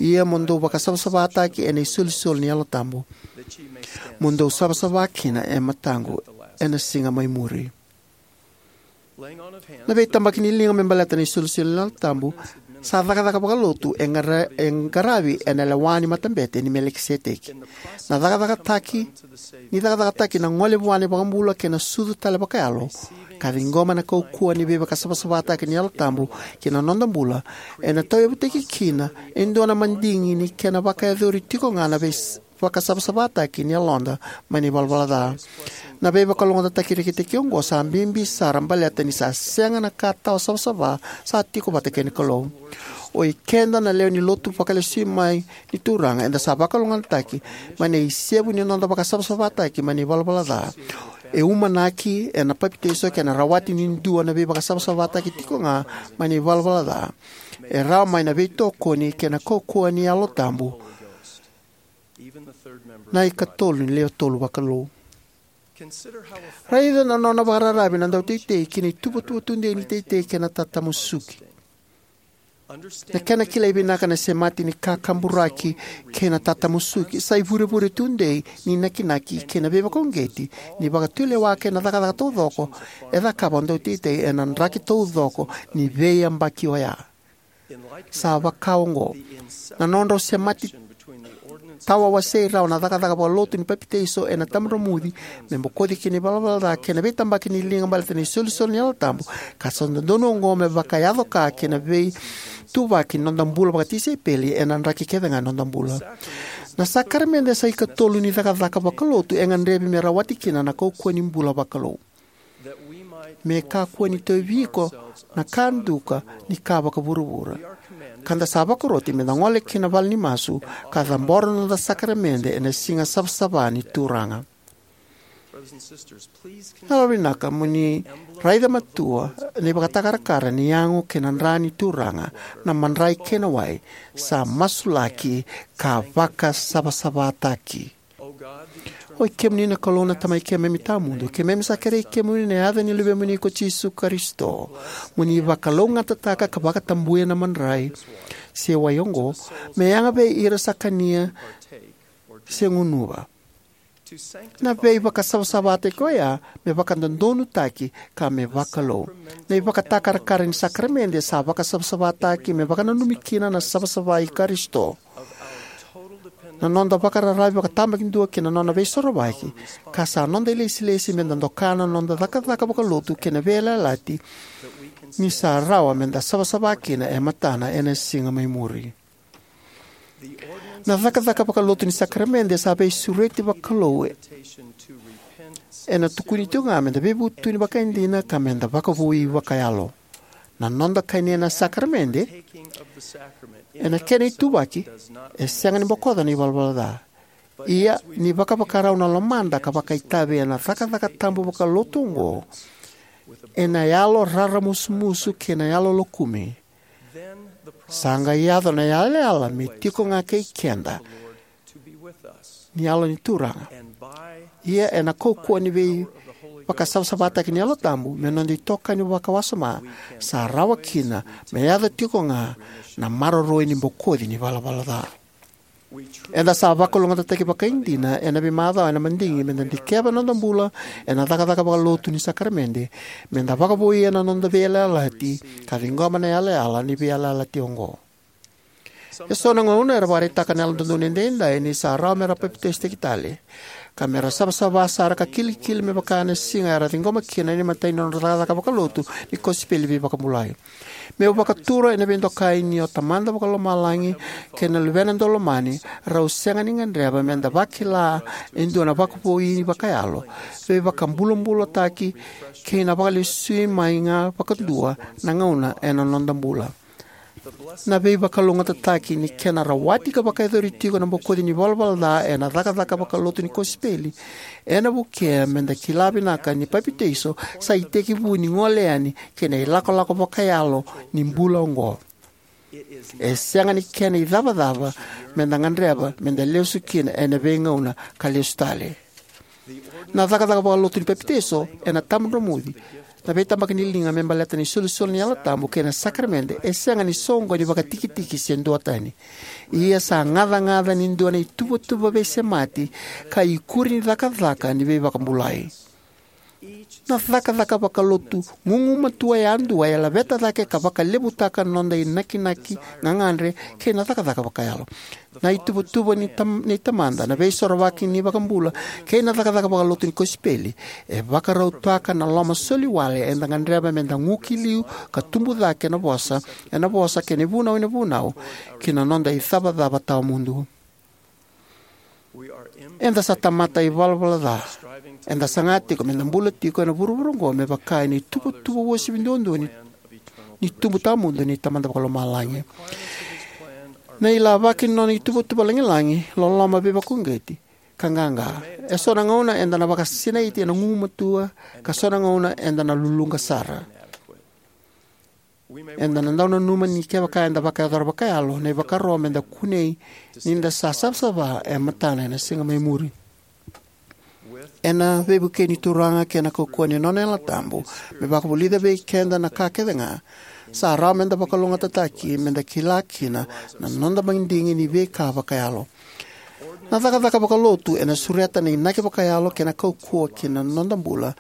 Ia mo dou vakasavasavataki ena isolisoli ni Yalo Tabu, mo dou savasava kina e mataqu ena siga mai muri. Na veitabaki ni liga me baleta na isolisoli ni Yalo Tabu sa cakacaka vakalotu e qara-, e qaravi ena lewa ni Matabete ni Melikiseteki. Na cakacakataki, ni cakacakataki na gole vua na iVakabula kei na sucu tale vakayalo, ka ciqoma na kaukauwa ni veivakasavasavataki ni Yalo Tabu ki na noda bula, ena tauyavutaki kina e dua na madigi ni kena vakayacori tiko ga na vei- vakasavasavataki ni yaloda mai na ivalavala ca. Na veivakalougatataki rekitaki oqo sa bibi sara baleta ni sa sega na ka tawa savasava sa tiko vata kei na Kalou. O ikeda na lewe ni lotu vakalesui mai ni Turaga, eda sa vakalougatataki mai na isevu ni noda vakasavasavataki mai na ivalavala ca. E umanaki ena papitaiso kei na rawati ni dua na veivakasavasavataki tiko ga mai na ivalavala ca, e rawa mai na veitokoni kei na kaukauwa ni Yalo Tabu, na ikatolu ni lewe tolu vakalou. Raica na nona vakararavi na dauteitei ki na ituvatuva tudei ni teitei kei na tatamusuki. Na kena kilai vinaka na semati ni kakaburaki kei na tatamusuki sa ivurevure tudei ni nakinaki kei na veivakauqeti ni vakatulewa kei na cakacaka taucoko e cakava o dauteitei ena draki taucoko ni veiyabaki oya. Sa vaka oqo, na nodrau semati tawawasei rawa na cakacaka vakalotu ni papitaiso ena tabadromuci me bokoci kina ivalavala ca kei na veitabaki ni liga baleta na isolisoli ni Yalo Tabu, ka sa dodonu oqo me vakayaco ka kei na veituvaki ni noda bula vakatisaipeli ena draki kece ga ni noda bula. Na sakaramede sa ikatolu ni cakacaka vakalotu e gadrevi me rawati kina na kaukauwa ni bula vakalou. Me kakua ni tauvi iko na ka duka ni ka vakavuravura, ka da sa vakaroti me da gole ki na vale ni masu ka cabora na noda sakaramede ena siga savasava ni Turaga. Na yalovinaka mo ni raica matua na ivakatakarakara ni yago kei na dra ni Turaga, na madrai kei na wai, sa masulaki ka vakasavasavataki. Oi kemuni na Kalou na Tamai keimami tawamudu, keimami sa kerei kemuni na yaca ni Luvemuni ko Jisu Karisito, mo ni vakalougatataka ka vakatabuya na madrai se wai oqo, me yaga vei ira sa kania se gunuva. Na veivakasavasavataki oya me vakadodonutaki ka me vakalou. Na ivakatakarakara ni sakaramede sa vakasavasavataki me vakananumi kina na savasava i Karisito. Na noda vakararavi vakatabakidua ki na nona veisorovaki, ka sa noda ilesilesi me da doka na noda cakacaka vakalotu kei na veiyalayalati ni sa rawa me da savasava kina e matana ena siga mai muri. Na cakacaka vakalotu ni sakaramede sa veisureti vakalou ena tukuni tiko ga me da veivutuni vakaidina ka me da vakavoui vakayalo. Na noda kania na sakaramede, ena kena ituvaki, e sega ni bokoca na ivalavala ca. Ia, ni vakavakarau na lomada ka vakaitavi ena cakacaka tabu vakalotu oqo, ena yalo raramusumusu kei na yalo lokumi, sa qai yaco na yalayala me tiko ga kei keda ni Yalo ni Turaga. Ia ena kaukauwa ni veivakasavasavataki ni Yalo Tabu me noda itokani vakawasoma, sa rawa kina me yaco tiko ga na maroroi ni bokoci ni valavala ca. Eda sa vakalougatataki vakaidina ena veimacawa ena madigi me da dikeva na noda bula ena cakacaka vakalotu ni sakaramede, me da vakavoui ena noda veiyalayalati ka ciqoma na yalayala ni veiyalayalati oqo. Eso na gauna era vakaraitaka na Yalododonu Edaidai ni sa rawa me ra papitaisotaki tale, ka me ra savasava sara ka kilikili me vaka na siga era ciqoma kina na imatai ni nodra cakacaka vakalotu ni kosipeli veivakabulai. Meu vakatura ena veidokai ni o Tamada Vakalomalagi kei na Luvena Daulomani rau sega ni gadreva me da vakila e dua na vakavoui vakayalo, veivakabulabulataki, kei na vakalesui mai ga vakadua na gauna ena noda bula. Na veivakalougatataki ni kena rawati ka vakayacori tiko na bokoci ni valavala ca ena cakacaka vakalotu ni kosipeli ena vukea me da kila vinaka ni papitaiso sa itekivu ni gole yani ki na ilakolako vakayalo ni bula oqo. E sega ni kena icavacava me da gadreva me da lesu kina ena veigauna ka lesu tale. Na cakacaka vakalotu ni papitaiso ena tabadromuci, na veitabaki ni liga me baleta na isolisoli ni Yalo Tabu kei na sakaramede e sega ni soqoni vakatikitiki se duatani. Ia sa gacagaca ni dua na ituvatuva veisemati ka ikuri ni cakacaka ni veivakabulai. Na cakacaka vakalotu gugumatua yadua e laveta cake ka vakalevutaka na noda inakinaki, gagadre, kei na cakacaka vakayalo. Na ituvatuva ni tam-, ni Tamada, na veisorovaki ni vakabula, kei na cakacaka vakalotu ni kosipeli e vakarautaka na loma soli wale eda gadreva me da guki liu ka tubu cake ena vosa, ena vosa kei na ivunau ena vunau, ki na noda icavacava tawamudu. Eda sa tamata ivalavala ca. Eda saga tiko me da bula tiko ena vuravura oqo me vaka ena ituvatuva uasivi duadua ni, ni tubu tawamudu ni Tamada Vakalomalagi. Na ilavaki ni nona ituvatuva lagilagi, loloma veivakauqeti, ka qaqa. Eso na gauna eda na vakasinaiti ena gugumatua, ka so na gauna eda na luluqa sara. Eda na dau nanuma ni kevaka eda vakayacora vakayalo na ivakaro me da kunei ni da sa savasava e matana ena siga mai muri. Ena veivukei ni Turaga kei na kaukauwa ni nona Yalo Tabu me vakavulica vei keda na ka kece ga, sa rawa meda vakalougatataki meda kila kina na noda madigi ni veika vakayalo. Na cakacaka vakalotu ena sureta na inaki vakayalo kei na kaukauwa ki na noda bula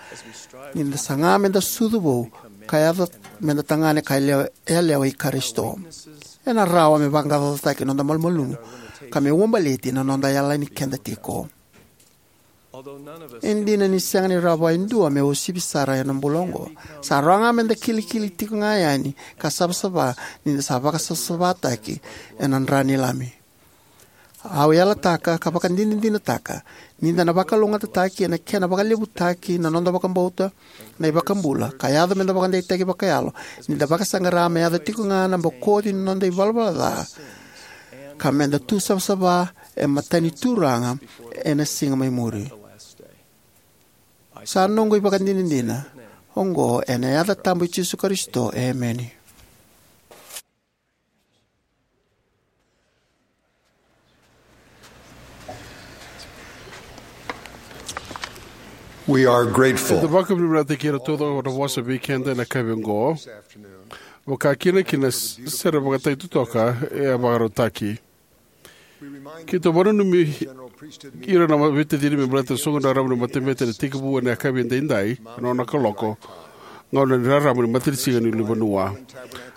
ni da saga meda sucu vou ka yaco meda tagane ka yalewa, yalewa i Karisito. Ena rawa me vaqaqacotaki noda malumalumu ka me uabaleti na noda yalani keda tiko. E dina ni sega ni rawa e dua me uasivi sara ena bula oqo, sa rawa ga meda kilikili tiko ga yani ka savasava ni da sa vakasavasavataki ena dra ni Lami. Au yalataka ka vakadinadinataka ni da na vakalougatataki ena kena vakalevutaki na noda vakabauta na iVakabula ka yaco meda vakadeitaki vakayalo ni da vakasaqara me yaco tiko ga na bokoci ni noda ivalavala ca ka meda tu savasava e mata ni Turaga ena siga mai muri. Sa noqu ivakadinadina oqo ena yaca tabu i Jisu Karisito, emeni. We are grateful. Eda vakavinavinakataki ira taucoko na vosa vei keda ena yakavi oqo, vaka kina kina s-, sere vakatai totoka e a vakarautaki. Keitou vakananumi ira na veitacini me baleta na soqoni raraba ni matabete ena tekivu ena yakavi edaidai, ena ono na kaloko, gauna ni rarama ni matanisiga ni ulunivanua.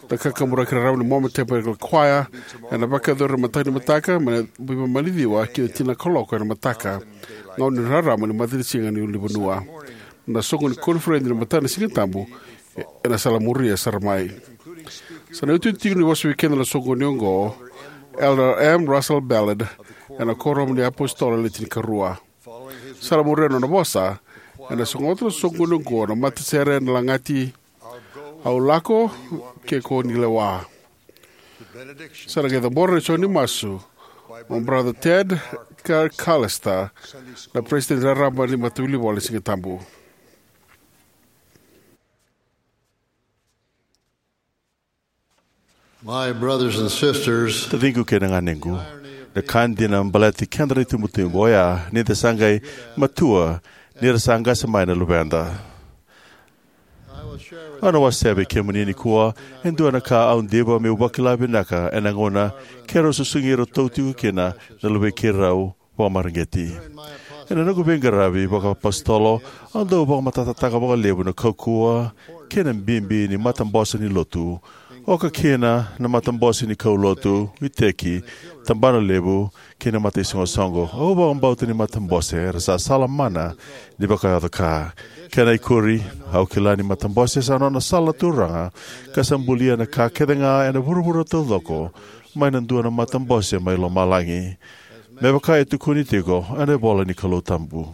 Na kakaburaki raraba ni Mormon Tabernacle Choir ena vakayacori ena mataka ni mataka, mai na, mai na ciwa ki na tini na kaloko ena mataka, gauna ni rarama ni matanisiga ni ulunivanua. Na soqoni koniferedi ni mataka ni Sigatabu, ena sala muria sara mai. Sa na iotioti tiko ni vosa vei keda na soqoni oqo, Elder M. Russell Ballard, ena Kuoramu ni iApositolo Le Tinikarua. Sa na muria na nona vosa, ena sogota na soqoni oqo na matasere ena lagati Au Lako Ke Ko Ni Lewa. Sa na qai cabora na isau ni masu o Brother Ted Car-, Callister, na peresitedi raraba ni Matavuvale ni Sigatabu. My brothers and sisters, taciqu kei na ganequ, na ka dina baleti keda na itubutubu oya ni da sa qai matua ni ra sa qase mai na luveda. Au na wasea vei kemuni nikua e dua na ka au diva meu vakila vinaka ena gauna keirau susugi iratou tiko kina na luvei keirau vakamareqeti. Ena noqu veiqaravi vakaapositolo, au dau vakamatatataka vakalevu na kaukauwa kei na bibi ni matabose ni lotu, oka kina na matabose ni kaulotu, iteki, tabana levu, kei na mataisoqosoqo. Au vakabauta ni matabose era sa sala mana ni vakayaco ka. Kena ikuri, au kila ni matabose sa nona sala na Turaga, ka sa bulia na ka kece ga ena vuravura taucoko mai na dua na matabose mai lomalagi, me vaka e tukuni tiko ena ivola ni Kalou tabu.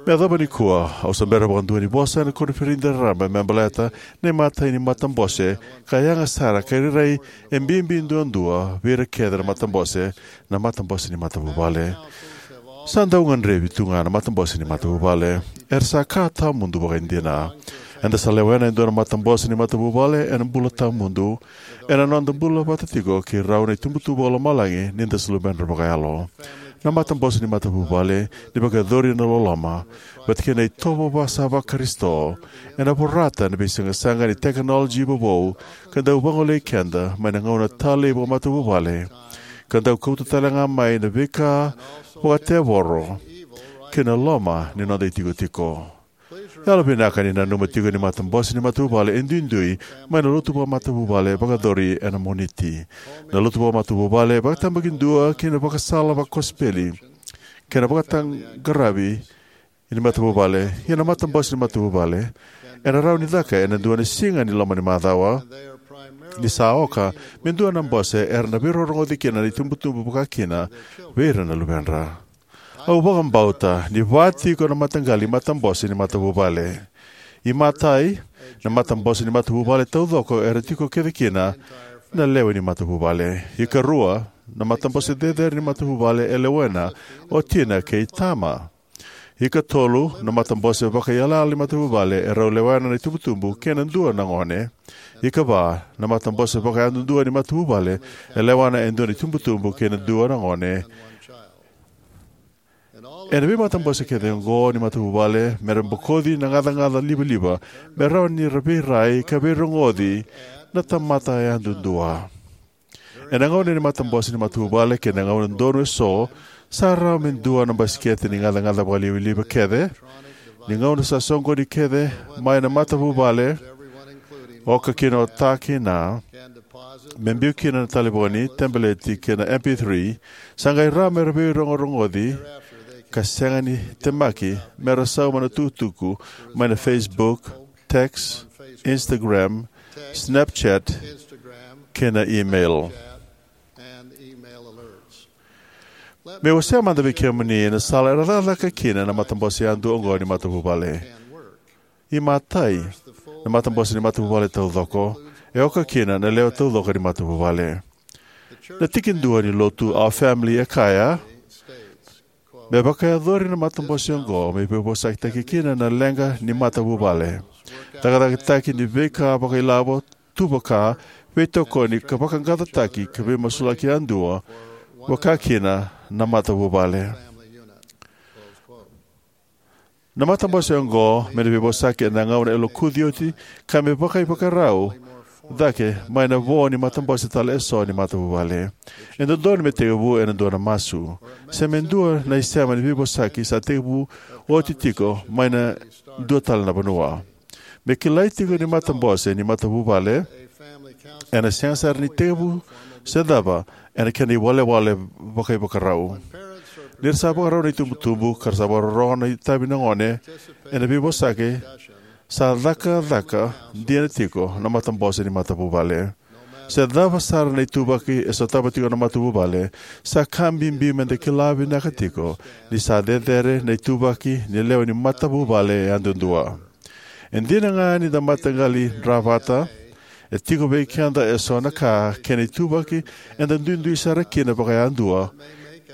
Me yacova nikua, au sa bera vakadua ni vosa ena koniferedi raraba me baleta na imatai ni matabose, ka yaga sara ka rairai e bibi duadua vei ira kece na matabose, na matabose ni matavuvale. Sa dau gadrevi tu ga na matabose ni matavuvale. Era sa ka tawamudu vakaidina. Eda sa lewena e dua na matabose ni matavuvale ena bula tawamudu, ena noda bula vata tiko kei rau na itubutubu vakalomalagi ni da sa luveda vakayalo. Na matabose ni matavuvale, ni vakayacori ena loloma vata kei na itovo vasa vaKarisito, ena vorata na veisaqasaqa ni tekinoloji vovou, ka dau vagolei keda mai na gauna talei vakamatavuvale, ka dau kauta tale ga mai na veika vakatevoro kei na loma ni noda itikotiko. Yalovinaka ni nanuma tiko ni matabose ni matavuvale e duidui mai na lotu vakamatavuvale vakayacori ena Moniti. Na lotu vakamatavuvale vakatabakidua kei na vakasala vakosipeli kei na vakataqaravi ni matavuvale. Ia na matabose ni matavuvale ena rawa ni caka ena dua na siga ni loma ni macawa, ni sa oka me dua na bose era na veirogorogoci kina na itubutubu, vaka kina vei ira na luvedra. Au vakabauta ni va tiko na mataqali matabose ni matavuvale. Imatai, na matabose ni matavuvale taucoko era tiko kece kina na lewe ni matavuvale. Ikarua, na matabose cecere ni matavuvale e lewena o tina kei tama. Ikatolu, na matabose vakaiyalayala ni matavuvale e rau lewena na itubutubu kei na dua na gone. Ikava, na matabose vakayadudua ni matavuvale e lewena e dua na itubutubu kei na dua na gone. Ena veimatabose kece oqo ni matavuvale, me ra bokoci na gacagaca livaliva me rawa ni ra veirai ka veirogoci na tamata yadudua. Ena gauna ni matabose ni matavuvale kei na gauna donu eso, sa rawa me dua na basikete ni gacagaca vakalivaliva kece ni gauna sa soqoni kece mai na matavuvale, oka kina o ta kina, me biu kina na talevoni, tabeleti kei na M P three, sa qai rawa me ra veirogorogoci ka sega ni temaki me ra sauma na tukutuku mai na Facebook, text, Instagram, Snapchat, kei na email. Meu wasea mada vei kemuni na sala era cakacaka kina na matabose yadua oqo ni matavuvale. Imatai, na matabose ni matavuvale taucoko e oka kina na lewe taucoko ni matavuvale. Na tikidua ni lotu Our Family e kaya, me vakayacori na matabose oqo me veivosakitaki kina na leqa ni matavuvale, cakacakataki ni veika vakailavo, tuvaka, veitokoni ka vaqaqacotaki ka veimasulaki yadua, vaka kina na matavuvale. Na matabose oqo me na veivosaki ena gauna e lokuci oti ka me vakaivakarau cake mai na vo ni matabose tale eso ni matavuvale. E dodonu me tekivu ena dua na masu se me dua na isema ni veivosaki sa tekivu oti tiko mai na dua tale na vanua. Me kilai tiko ni matabose ni matavuvale ena sega sara ni tekivu se cava ena kena iwalewale vakaivakarau. Ni ra sa vakarau na itubutubu ka ra sa vakarorogo na itavi na gone ena veivosaki, sa cakacaka dina tiko na matabose ni matavuvale. Se cava sara na ituvaki e sotava tiko na matavuvale, sa ka bibi me da kila vinaka tiko ni sa cecere na ituvaki ni lewe ni matavuvale yadudua. E dina ga ni da mataqali dra vata, e tiko vei keda eso na ka kei na ituvaki eda duidui sara kina vakayadua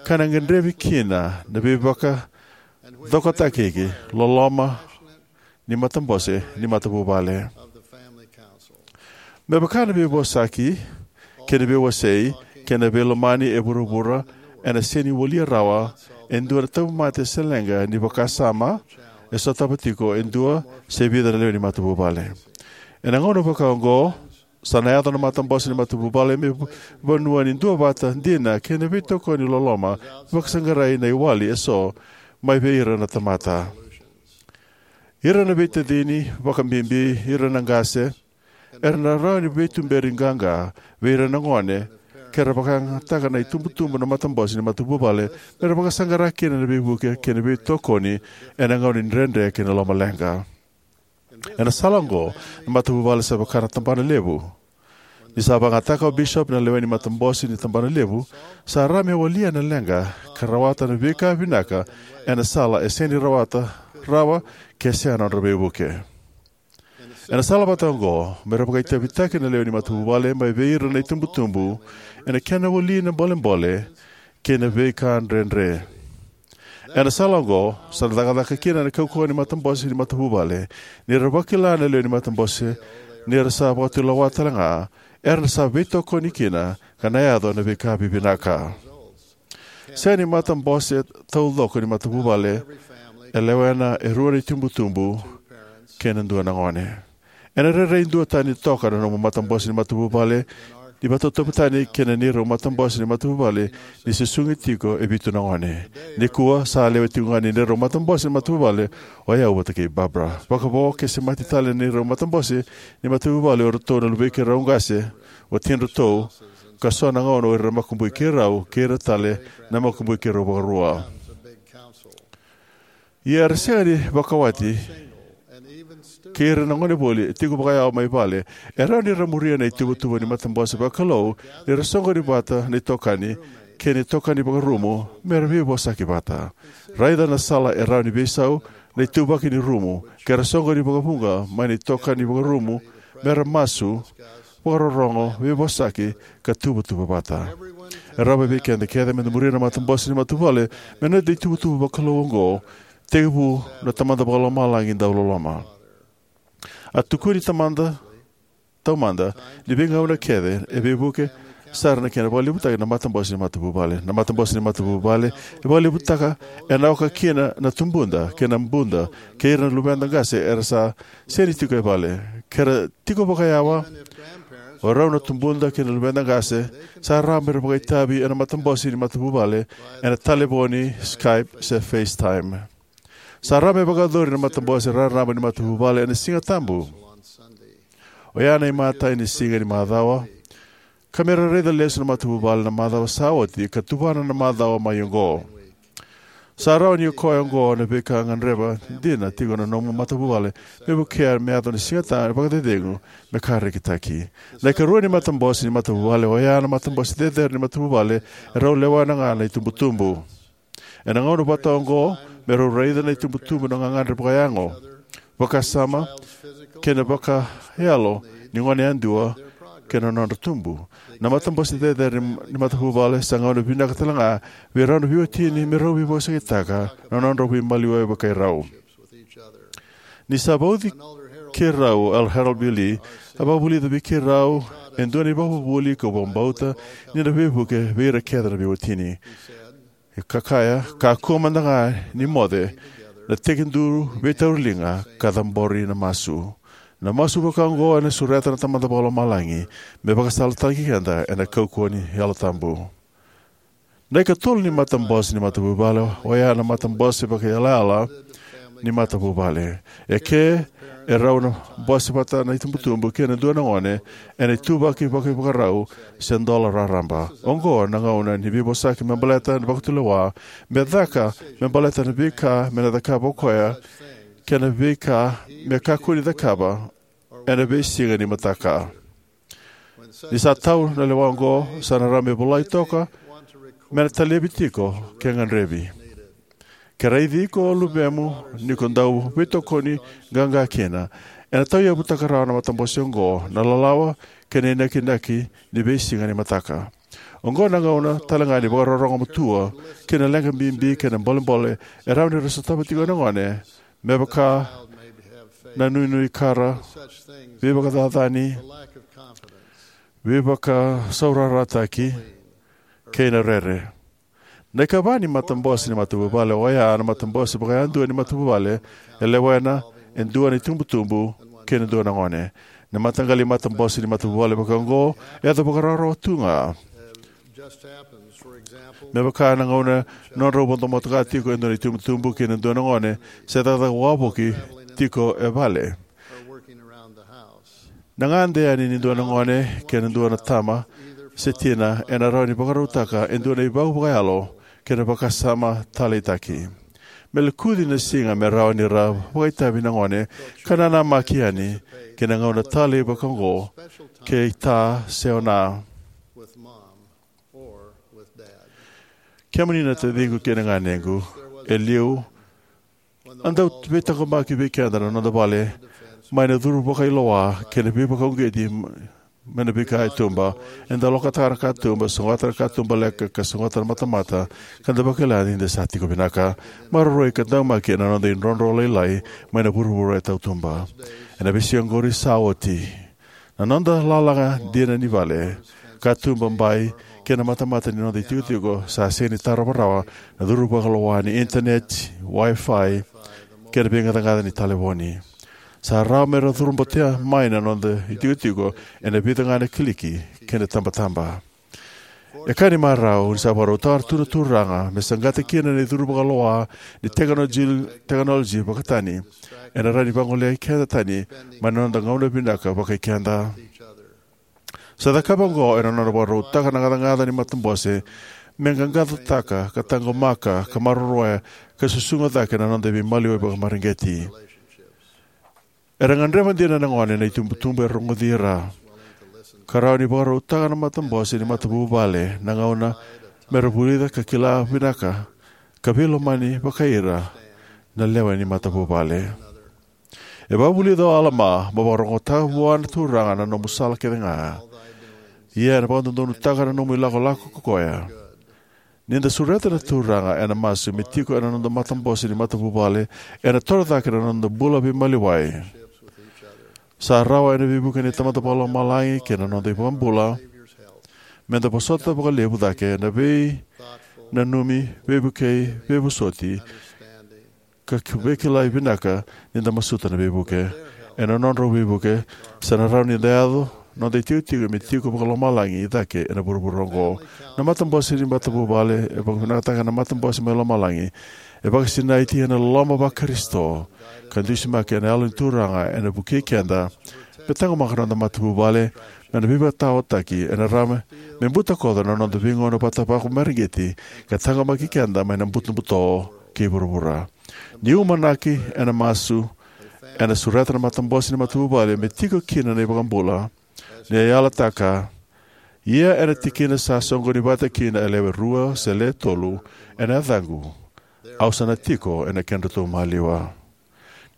ka na gadrevi kina na veivakacokotaki loloma ni matabose ni matavuvale. Me vaka na veivosaki kei na veiwasei kei na veilomani e vuravura ena sega ni walia rawa e dua na tauvimate se leqa ni vakasama e sotava tiko e dua se vica na lewe ni matavuvale. Ena gauna vaka oqo, sa na yaco na matabose ni matavuvale me vanua ni duavata dina kei na veitokoni loloma, vakasaqarai na iwali eso mai vei ira na tamata. Ira na veitacini, vakabibi ira na qase, era na rawa ni veituberi qaqa vei ira na gone ke ra vakayagataka na itubutubu na matabose ni matavuvale me ra vakasaqara kina na veivuke kei na veitokoni ena gauna ni dredre kei na lomaleqa. Ena sala oqo, na matavuvale sa vaka na tabana levu. Ni sa vakayagataka o bisopi na lewe ni matabose ni tabana levu, sa rawa me walia na leqa ka rawata na veika vinaka ena sala e sega ni rawata rawa ke sega na nodra veivuke. Ena sala vata oqo, me ra vakaitavitaki na lewe ni matavuvale mai vei ira na itubutubu ena kena wali na bolebole kei na veika dredre. Ena sala oqo, sa na cakacaka kina na kaukauwa ni matabose ni matavuvale ni ra vakila na lewe ni matabose ni ra sa vakatulewa tale ga, era sa veitokoni kina ka na yaco na veika vivinaka. Sega ni matabose taucoko ni matavuvale e lewena e rua na itubutubu kei na dua na gone. Ena rairai duatani toka na nomu matabose ni matavuvale ni vakatauvatani kei na neirau matabose ni matavuvale ni susugi tiko e vitu na gone. Nikua sa lewe tiko ga ni neirau matabose ni matavuvale o yau vata kei Barbara. Vakavo ke semati tale na neirau matabose ni matavuvale o iratou na luvei keirau qase, watidratou, ka so na gauna o ira na makubui keirau kei ira tale na makubui keirau vakarua. Ia era sega ni vakawati kei ira na gone voli e tiko vakayawa mai vale, e rawa ni ra muria na ituvatuva ni matabose vakalou ni ra soqoni vata na itokani kei na itokani vakarumu me ra veivosaki vata. Raica na sala e rawa ni veisau na ituvaki ni rumu ke ra soqoni vakavuqa mai na itokani vakarumu me ra masu, vakarorogo, veivosaki, ka tuvatuva vata. E rawa vei keda kece me da muria na matabose ni matavuvale me noda ituvatuva vakalou oqo, tekivu na Tamada Vakalomalagi dau loloma. A tukuni Tamada, taumada, ni veigauna kece e veivuke sara na kena vakalevutaki na matabose ni matavuvale. Na matabose ni matavuvale e vakalevutaka ena oka kina na tubuda kei na buda kei ira na luveda qase era sa sega ni tiko e vale. Ke ra tiko vakayawa, o rau na tubuda kei na luveda qase sa rawa me ra vakaitavi ena matabose ni matavuvale ena talevoni, Skype, se FaceTime. Sa rawa me vakayacori na matabose raraba ni matavuvale ena Siga Tabu, oya na imatai ni siga ni macawa, ka me ra raica lesu na matavuvale na macawa sa oti ka tuvana na macawa mai oqo. Sa rawa ni o koya oqo na veika e gadreva dina tiko na nomu matavuvale me vukea me yaco na Siga Tabu ni vakacecegu me ka rekitaki. Na ikarua ni matabose ni matavuvale oya na matabose cecere ni matavuvale e rau lewena ga na itubutubu. Ena gauna vata oqo, me rau raica na itubutubu na gagadre vakayago, vakasama, kei na vakayalo ni gone yadua kei na nodra tubu. Na matabose cecere ni matavuvale sa gauna vinaka tale ga vei rau na veiwatini me rau veivosakitaka na nodrau veimaliwai vakairau. Ni sa vauci keirau o Elder Harold B. Lee, a vakavulica vei keirau e dua na ivakavuvuli kau vakabauta ni na veivuke vei ira kece na veiwatini. E ka kaya, kakua mada ga ni moce na tekiduru veitauriliga ka cabori na masu. Na masu vaka oqo ena sureta na Tamada Vakalomalagi me vakasalataki keda ena kaukauwa ni Yalo Tabu. Na ikatolu ni matabose ni matavuvale oya na matabose vakaiyalayala ni matavuvale. E ke e rau na bose vata na itubutubu kei na dua na gone ena ituvaki vakaivakarau se dola raraba. Oqo na gauna ni veivosaki me baleta na vakatulewa, me caka me baleta na veika me na cakava o koya, kei na veika me kakua ni cakava ena veisiga ni mataka. Ni sa tau na lewa oqo, sa na rawa me volai toka me na talevi tiko ke gadrevi. Ke raici iko o luvemu ni ko dau veitokoni qaqa kina, ena tauyavutaka rawa na matabose oqo na lalawa kei na inakinaki ni veisiga ni mataka. Oqo na gauna tale ga ni vakarorogo matua ki na leqa bibi kei na bolebole e rawa ni ra sotava tiko na gone, me vaka na nuinui kara, veivakacacani, veivakasaurarataki, kei na rere. Na ikava ni matabose ni matavuvale oya na matabose vakayadua ni matavuvale e lewena e dua na itubutubu kei na dua na gone. Na mataqali matabose ni matavuvale vaka oqo e yaco vakarawarawa tu ga. Me vaka na gauna nodrau vodo motoka tiko e dua na itubutubu kei na dua na gone se cakacaka wavoki tiko e vale. Na gade yani ni dua na gone kei na dua na tama se tina ena rawa ni vakarautaka e dua na ivau vakayalo kei na vakasama taleitaki. Me lokuci na siga me rawa ni ra vakaitavi na gone ka nanamaki yani ki na gauna talei vaka oqo kei ta se o na. Kemuni na taciqu kei na ganequ, e liu a dau veitaqomaki vei keda na noda vale mai na curu vakailoa kei na veivakauqeti mai na veika e tuba. Eda lokataka na katuba, sogota na katuba leka, ka sogota na matamata, ka da vakila ni da sa tiko vinaka. Maroroi ka daumaki ena noda idrodro lailai mai na vuravura e tautuba. Ena veisiga oqori sa oti, na noda lalaga dina ni vale, katuba, bai, kei na matamata ni noda itikotiko sa sega ni tarova rawa na curu vakaloa ni internet, Wi-Fi, kei na veigacagaca ni talevoni. Sa rawa me ra curu botea mai na noda itikotiko ena vica ga na kiliki kei na tabataba. E ka ni marau ni sa vakarautaka tu na Turaga me saqata kina na icuru vakaloa ni tekinoloji, tekinoloji vakatani ena rawa ni vagolei keda tani mai na noda gauna vinaka vakai keda. Sa cakava oqo ena nona vakarautaka na gacagaca ni matabose me qaqacotaka ka taqomaka ka maroroya ka susuga cake na noda veimaliwai vakamareqeti. Era gadreva dina na gone na itubutubu e rogoci ira, ka rawa ni vakarautaka na matabose ni matavuvale na gauna me ra vulica ka kila vinaka ka veilomani vakai ira na lewe ni matavuvale. E vakavulica o Alama, mo vakarogotaka vua na Turaga na nomu sala kece ga, ia ena vakadodonutaka na nomu ilakolako ko koya. Ni da sureta na Turaga ena masu me tiko ena noda matabose ni matavuvale, ena toro cake na noda bula veimaliwai. Sa rawa ena veivuke ni Tamada Vakalomalagi kei na noda iVakabula Me da vosota vakalevu cake na veinanumi, veivukei, veivosoti, ka ki- veikilai vinaka ni da masuta na veivuke. Ena nodrau veivuke, sa na rawa ni da yaco noda itikotiko me tiko vakalomalagi cake ena vuravura oqo. Na matabose ni matavuvale e vakavinakataka na matabose mai lomalagi. E vakasinaiti ena loloma vaKarisito ka dusimaki ena Yalo ni Turaga ena vukei keda me taqomaka noda matavuvale mai na veivakataotaki. Ena rawa me butakoca na noda veigauna vata vakamareqeti ka taqomaki keda mai na butobuto kei vuravura. Ni umanaki ena masu, ena sureta na matabose ni matavuvale me tiko kina na iVakabula, ni a yalataka: Ia ena tikina sa soqoni vata kina e lewe rua se lewe tolu ena yacaqu, au sa na tiko ena kedratou maliwa.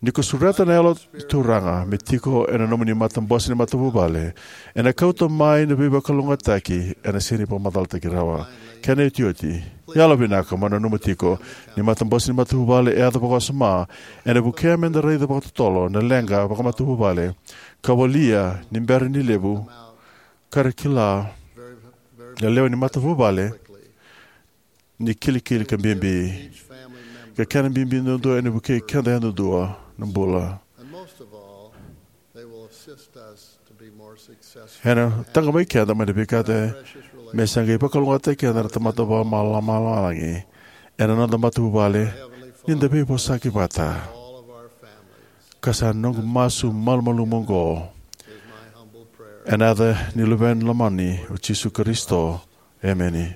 Ni ko sureta na Yalo ni Turaga me tiko ena nomuni matabose ni matavuvale, ena kauta mai na veivakalougatataki ena sega ni vakamacalataki rawa. Kena iotioti, yalovinaka mo nanuma tiko ni matabose ni matavuvale e yaco vakawasoma. Ena vukea me da raica vakatotolo na leqa vakamatavuvale ka walia ni bera ni levu ka ra kila na lewe ni matavuvale ni kilikili ka bibi, ka kena bibi duadua ena vukei keda yadudua na bula. Ena taqomaki keda mai na veika me sa qai vakalougatataki keda na Tamada Vakalomalagi ena noda matavuvale ni da veivosaki vata. Ka sa noqu masu malumalumu oqo ena yaca ni Luvena lomani o Jisu Karisito. Emeni.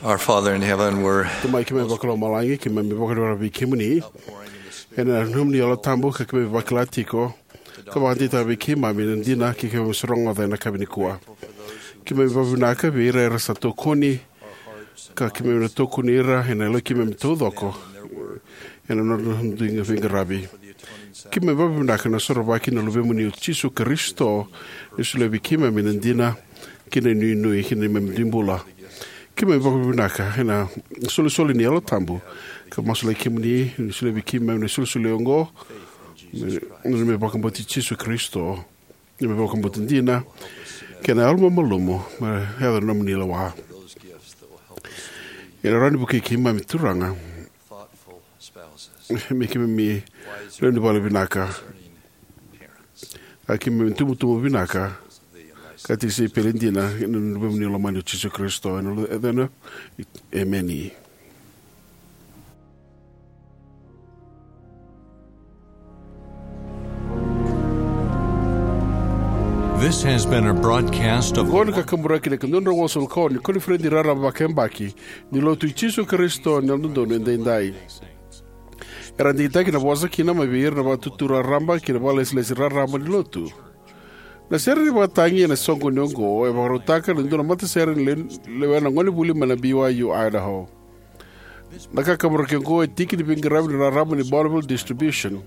Our Father in heaven, we're Tamai keimami vakalomalagi, keimami vakavinavinaka vei kemuni ena nomuni Yalo Tabu ka keimami vakila tiko ka vakadeitaka vei keimami na dina keimami sa rogoca ena yakavi nikua. Keimami vakavinavinaka vei ira era sa tokoni ka keimami na tokoni ira ena yalo keimami taucoko ena nodra dui veiqaravi. Keimami vakavinavinaka na sorovaki na Luvemuni o Jisu Karisito ni solia vei keimami na dina kei na inuinui kei na neimami dui bula. Keimami vakavinavinaka ena isolisoli ni Yalo Tabu ka masulaki kemuni ni solia vei keimami na isolisoli oqo, na neimami vakabauti Jisu Karisito, neimami vakabauti dina kei na yalo mamalumu me yaco na nomuni lewa. Ena rawa ni vukei keimami, Turaga, me keimami lewe ni vale vinaka, a keimami tubutubu vinaka ka tisaipeli dina ena Luvemuni lomani o Jisu Karisito. Ena Luvena, emeni. This has been a broadcast of Oqo na kakaburaki na ikaduadrau walusagavulu ka ono ni koniferedi raraba vakayabaki ni Lotu i Jisu Karisito ni Yalododonu Edaidai. Era digitaki na vosa kina mai vei ira na Vatutu Raraba kei na Vakalesilesi Raraba ni Lotu. Na sere ni vakatagi ena soqoni oqo e vakarautaka na dua na matasere ni le-, lewena gonevuli mai na B Y U Idaho. Na kakaburaki oqo e tiki ni veiqaravi ni rarama ni Bonneville Distribution.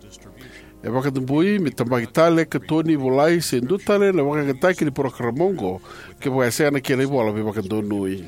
E vakadabui me tabaki tale, katoni, volai se dua tale na vakayagataki ni parokaramu oqo kevaka e sega na kena ivola veivakadonui.